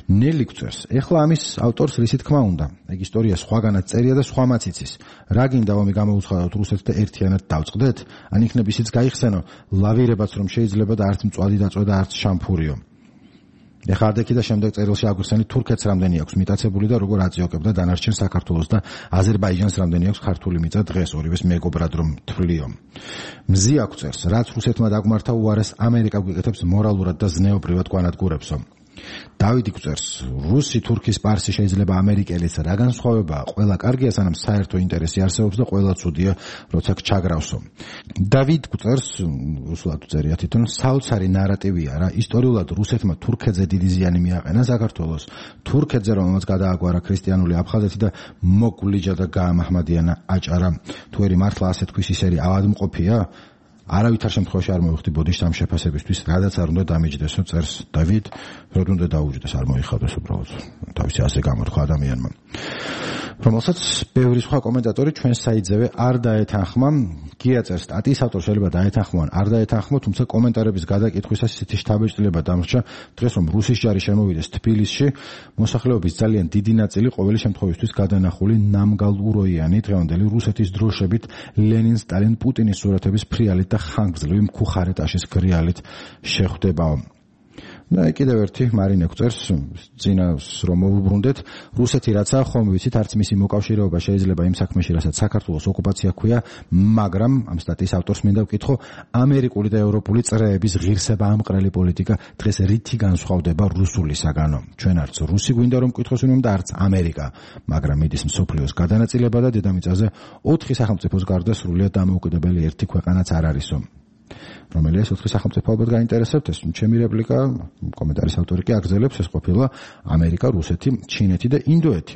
ნელი გწერს, ეხლა ამის ავტორს რისი თქმა უნდა, ეგ ისტორია სხვაგანაც წერია და სხვამაც იცის. რა გინდა ომი გამოუცხადოთ რუსეთს და ერთიანად დავწყდეთ? ან იქნებ ისიც გაიხსენო, ლავირებაც რომ შეიძლება და არც მწვადი დაწვა და არც შამფურიო. ეხლა ადექი და შემდეგ წერილში აგვიხსენით თურქეთს რამდენი აქვს მიტაცებული და როგორ აწიოკებდა დანარჩენ საქართველოს და აზერბაიჯანს რამდენი აქვს ქართული მიწა დღეს ორივეს მეგობრად რომ თვლიო. მზი აგვწერს, რაც რუსეთმა დაგმართა უარეს ამერიკა გვიკეთებს მორალურად და ზნეობრივად გვანადგურებსო. დავიდი გვწერს, რუსი თურქის პარსი შეიძლება ამერიკელიც რა განსხვავებაა, ყველა კარგია სანამ საერთო ინტერესი არსებობს და ყველა ცუდია როცა ჩაგრავსო. დავიდ გვწერს, რუსულად წერია თვითონ, საოცარი ნარატივია რა, ისტორიულად რუსეთმა თურქეთზე დიდი ზიანი მიაყენა საქართველოს, თურქეთზე რომელმაც გადააგვარა ქრისტიანული აფხაზეთი და მოგვლიჯა და გაამაჰმადიანა აჭარა. თუ ერი მართლა ასე თქვის ისერი ავადმყოფია, არავითარ შემთხვევაში არ მოვიხდი ბოდიშს ამ შეფასებისთვის, რადაც არ უნდა დამიჯდესო, წერს დავიდ, რომ უნდა დაუჯდეს, არ მოიხადოს უბრალოდ თავისი ასე გამორხვა ადამიანმა. რომელსაც ბევრი სხვა კომენტატორი ჩვენ საიძევე არ დაეთანხმა. გიაწერს სტატიის ავტორს შეიძლება დაეთანხმონ, არ დაეთანხმო, თუმცა კომენტარების გადაკითხვისას ისეთი შთაბეჭდილება დამრჩა დღეს, რომ რუსის ჯარი შემოვიდეს თბილისში, მოსახლეობის ძალიან დიდი ნაწილი ყოველი შემთხვევისთვის გადანახული ნამგალუროიანი დღევანდელი რუსეთის დროშებით, ლენინ, სტალინ, პუტინის სურათების ფრიალით და ხანგრძლივი მქუხარეტაშის გრიალით შეხვდება. და კიდევ ერთი მარინე გვწერს წინას რომ მოვუბრუნდეთ რუსეთი რაცა ხომ ვიცით არც მისი მოკავშირეობა შეიძლება იმ საქმეში რასაც საქართველოს ოკუპაცია ქვია მაგრამ ამ სტატიის ავტორს მინდა ვკითხო ამერიკული და ევროპული წრეების ღირსება ამყრელი პოლიტიკა დღეს რითი განსხვავდება რუსულისაგანო ჩვენ არც რუსი გვინდა რომ ვკითხოს ვინმე და არც ამერიკა მაგრამ მიდის მსოფლიოს გადანაწილება და დედამიწაზე ოთხი სახელმწიფოს გარდა სრულიად დამოუკიდებელი ერთი ქვეყანაც არ არისო რომელიც ოთხი სახელმწიფო ალბათ გაინტერესებთ ეს ჩემი რეპლიკა კომენტარის ავტორი კი აგრძელებს ეს ყოფილა ამერიკა, რუსეთი, ჩინეთი და ინდოეთი.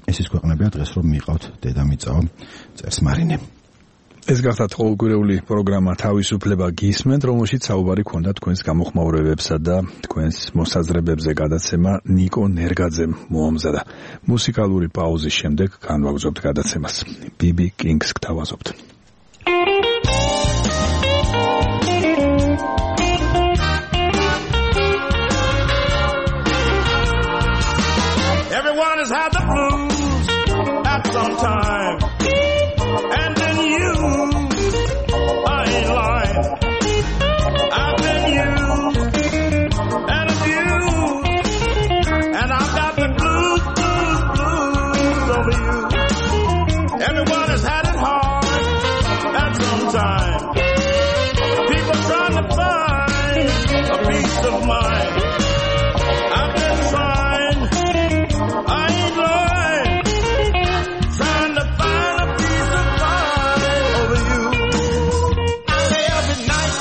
ეს ის ქვეყნებია დღეს რომ მიყავთ დედამიწაო წერს მარინე. ეს გახდათ ყოველკვირეული პროგრამა თავისუფლება გისმენთ, რომელშიც საუბარი ქონდა თქვენს გამოხმაურებებსა და თქვენს მოსაზრებებზე გადაცემა ნიკო ნერგაძემ მოამზადა. მუსიკალური პაუზის შემდეგ განვაგრძობთ გადაცემას. ბი ბი Kings გთავაზობთ. Everyone has had the blues at some time, and then you, I ain't lying. I've been used and abused, and I've got the blues, blues, blues over you. Everyone has had it hard at some time. People trying to find a peace of mind. I've been trying. I ain't lying, trying to find a piece of mind over you. I lay up at night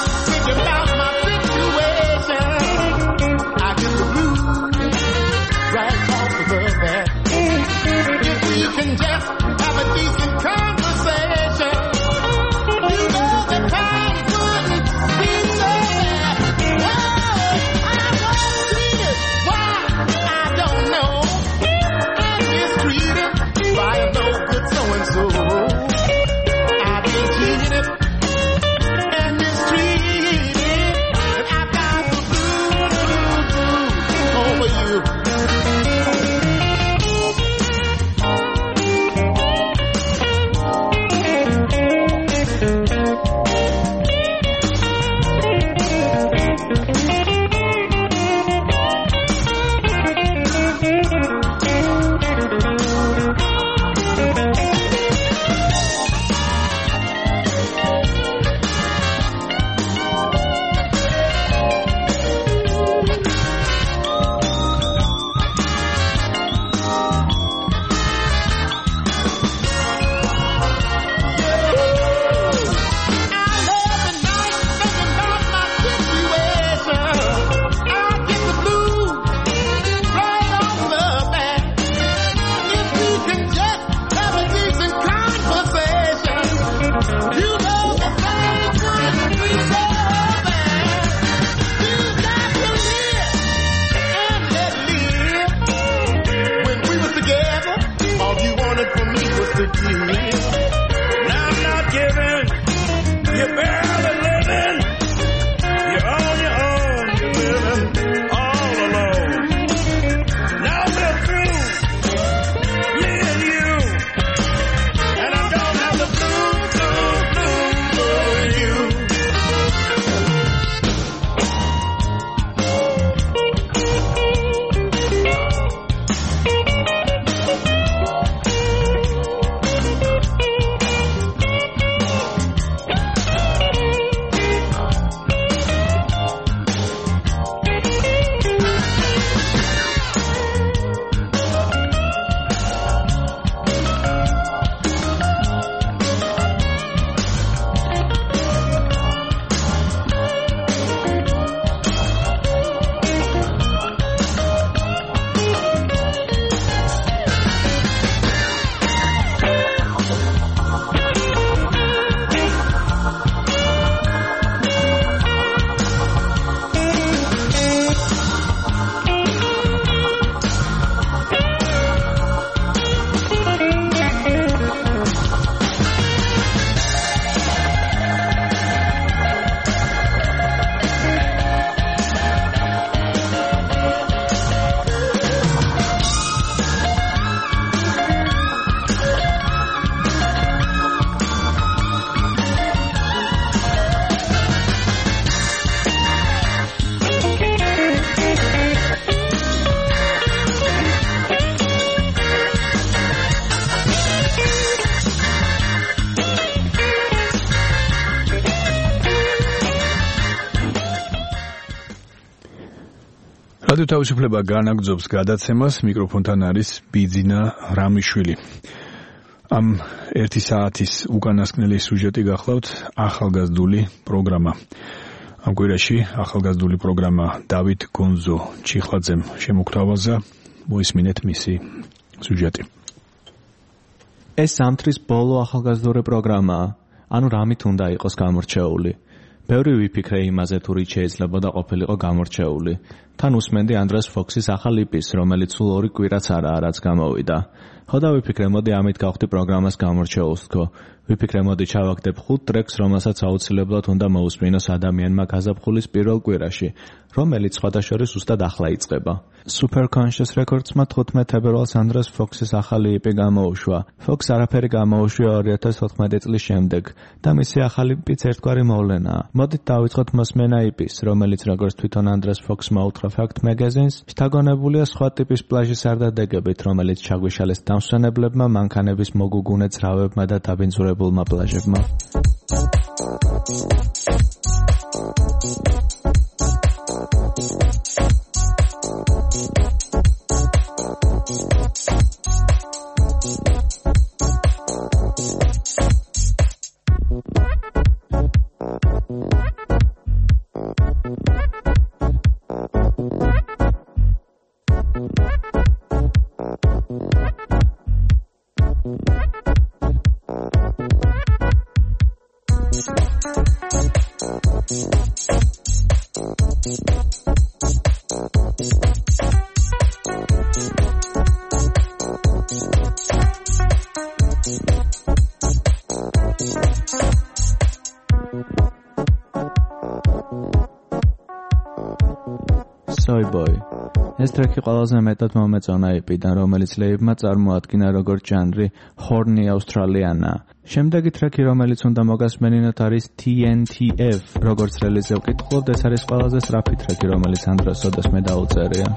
რადიო თავისუფლება განაგრძობს გადაცემას, მიკროფონთან არის ბიძინა რამიშვილი. ამ ერთი საათის უკანასკნელი სიუჟეტი გახლავთ ახალგაზრდული პროგრამა. ამ კვირაში ახალგაზრდული პროგრამა დავით გონზო ჩიხლაძემ შემოგთავაზა, მოისმინეთ მისი სიუჟეტი. ეს სამთრის ბოლო ახალგაზრდული პროგრამაა, ანუ რამით უნდა იყოს გამორჩეული. ბევრი ვიფიქრე იმაზე, თუ რით შეიძლებოდა ყოფილიყო გამორჩეული. თან უსმენდი ანდრეს ფოქსის ახალ იპის, რომელიც სულ ორი კვირაც არაა, რაც გამოვიდა. ხო და ვიფიქრე, მოდი ამით გავხდი პროგრამას გამორჩეულს თქო. ვიფიქრე, მოდი ჩავაგდებ ხუთ ტრეკს, რომელსაც აუცილებლად უნდა მოусმინოს ადამიანმა გაზაფხულის პირველ კვირაში, რომელიც სხვადასხვა ზუსტად ახლა იწყება. Super Conscious Records-მა თხუთმეტ თებერვალს ანდრეს ფოქსის ახალი იპი გამოუშვა. ფოქს არაფერი გამოუშვა ორი ათას ოთხმეტი წლის შემდეგ და მისი ახალი იპიც ერთგვარი მოვლენაა. მოდით დავიწყოთ მოსმენა იპის, რომელიც როგორც თვითონ ანდრეს ფოქსმა უთხრა Fact Magazine-ს, შთაგონებულია სხვა ტიპის პლაჟის არდადეგებით, რომელიც ჩაგვიშალეს დამსვენებლებმა, მანქანების მოგუგუნე ძრავებმა და დაბინძურებულმა პლაჟებმა. Soy Boy. ეს ტრეკი ყველაზე მეტად მომეწონა იპიდან, რომელიც ლეიბმა წარმოადგინა როგორც ჟანრი Horny Australiana. შემდეგი ტრეკი, რომელიც უნდა მოგასმენინოთ, არის T N T F. როგორც რელიზზე ვკითხულობთ, ეს არის ყველაზე სწრაფი ტრეკი, რომელიც ანდრეს ოდესმე დაუწერია.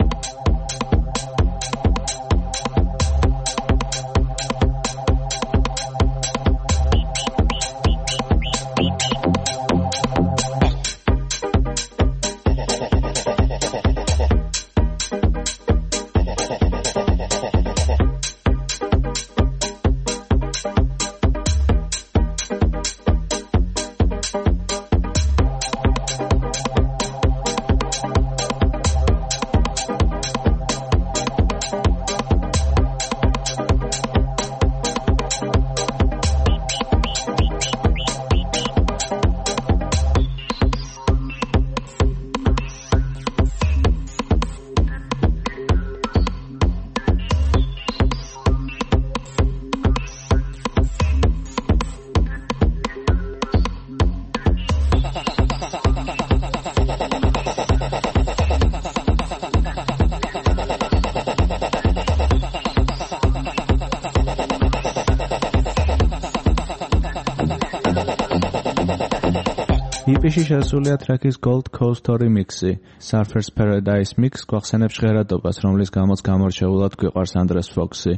იპიში შესულია ტრეკის Gold Coast remix-ი. Surfer's Paradise Mix გვახსენებს ჟღერადობას, რომლის გამოც გამორჩეულად გვიყვარს ანდრეს ფოქსი.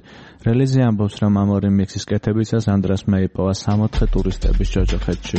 რელიზი ამბობს, რომ ამ ორი მიქსის კეთებისას ანდრესმა იპოვა სამოთხე ტურისტების ჯოჯოხეთში.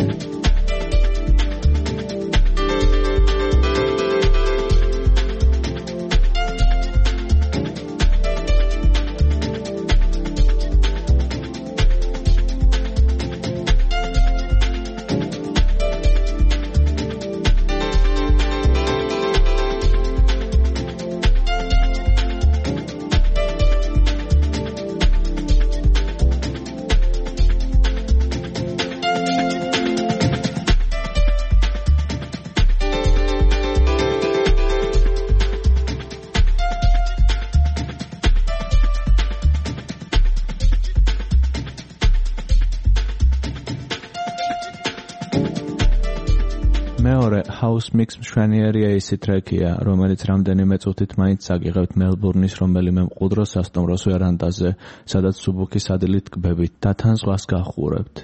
House Mix მშვენიერია ისი ტრეკია, რომელიც რამდენიმე წუთით მაინც აგიღებთ მელბურნის რომელიმე მყუდრო სასტუმროს ვერანდაზე, სადაც სუბუქი სადილით ტკბებით და თან ზღვას გაჰყურებთ.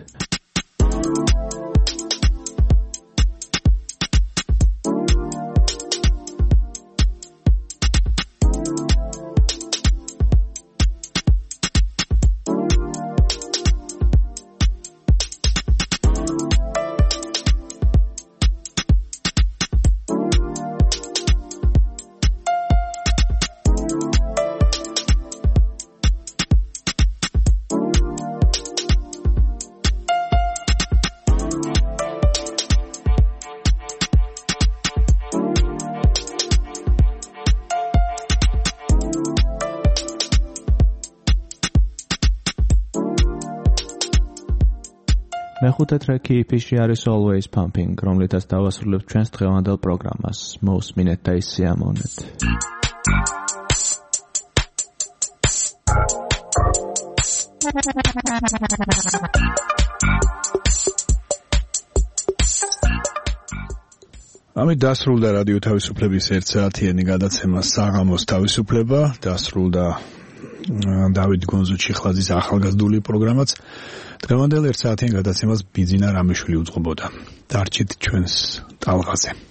მეხუთე ტრეკი ი-ფიში არის Always Pumping, რომლითაც დავასრულებთ ჩვენს დღევანდელ პროგრამას. მოусმინეთ და ისიამოვნეთ. ამით დასრულდა რადიო თავისუფლების ერთ საათიანი გადაცემა საღამოს თავისუფლება, დასრულდა დავით გონზუჩიხლაძის ახალგაზრდული პროგრამაც. დღევანდელ ერთ საათიან გადაცემას ბიძინა რამიშვილი უძღვებოდა. დარჩით ჩვენს ტალღაზე.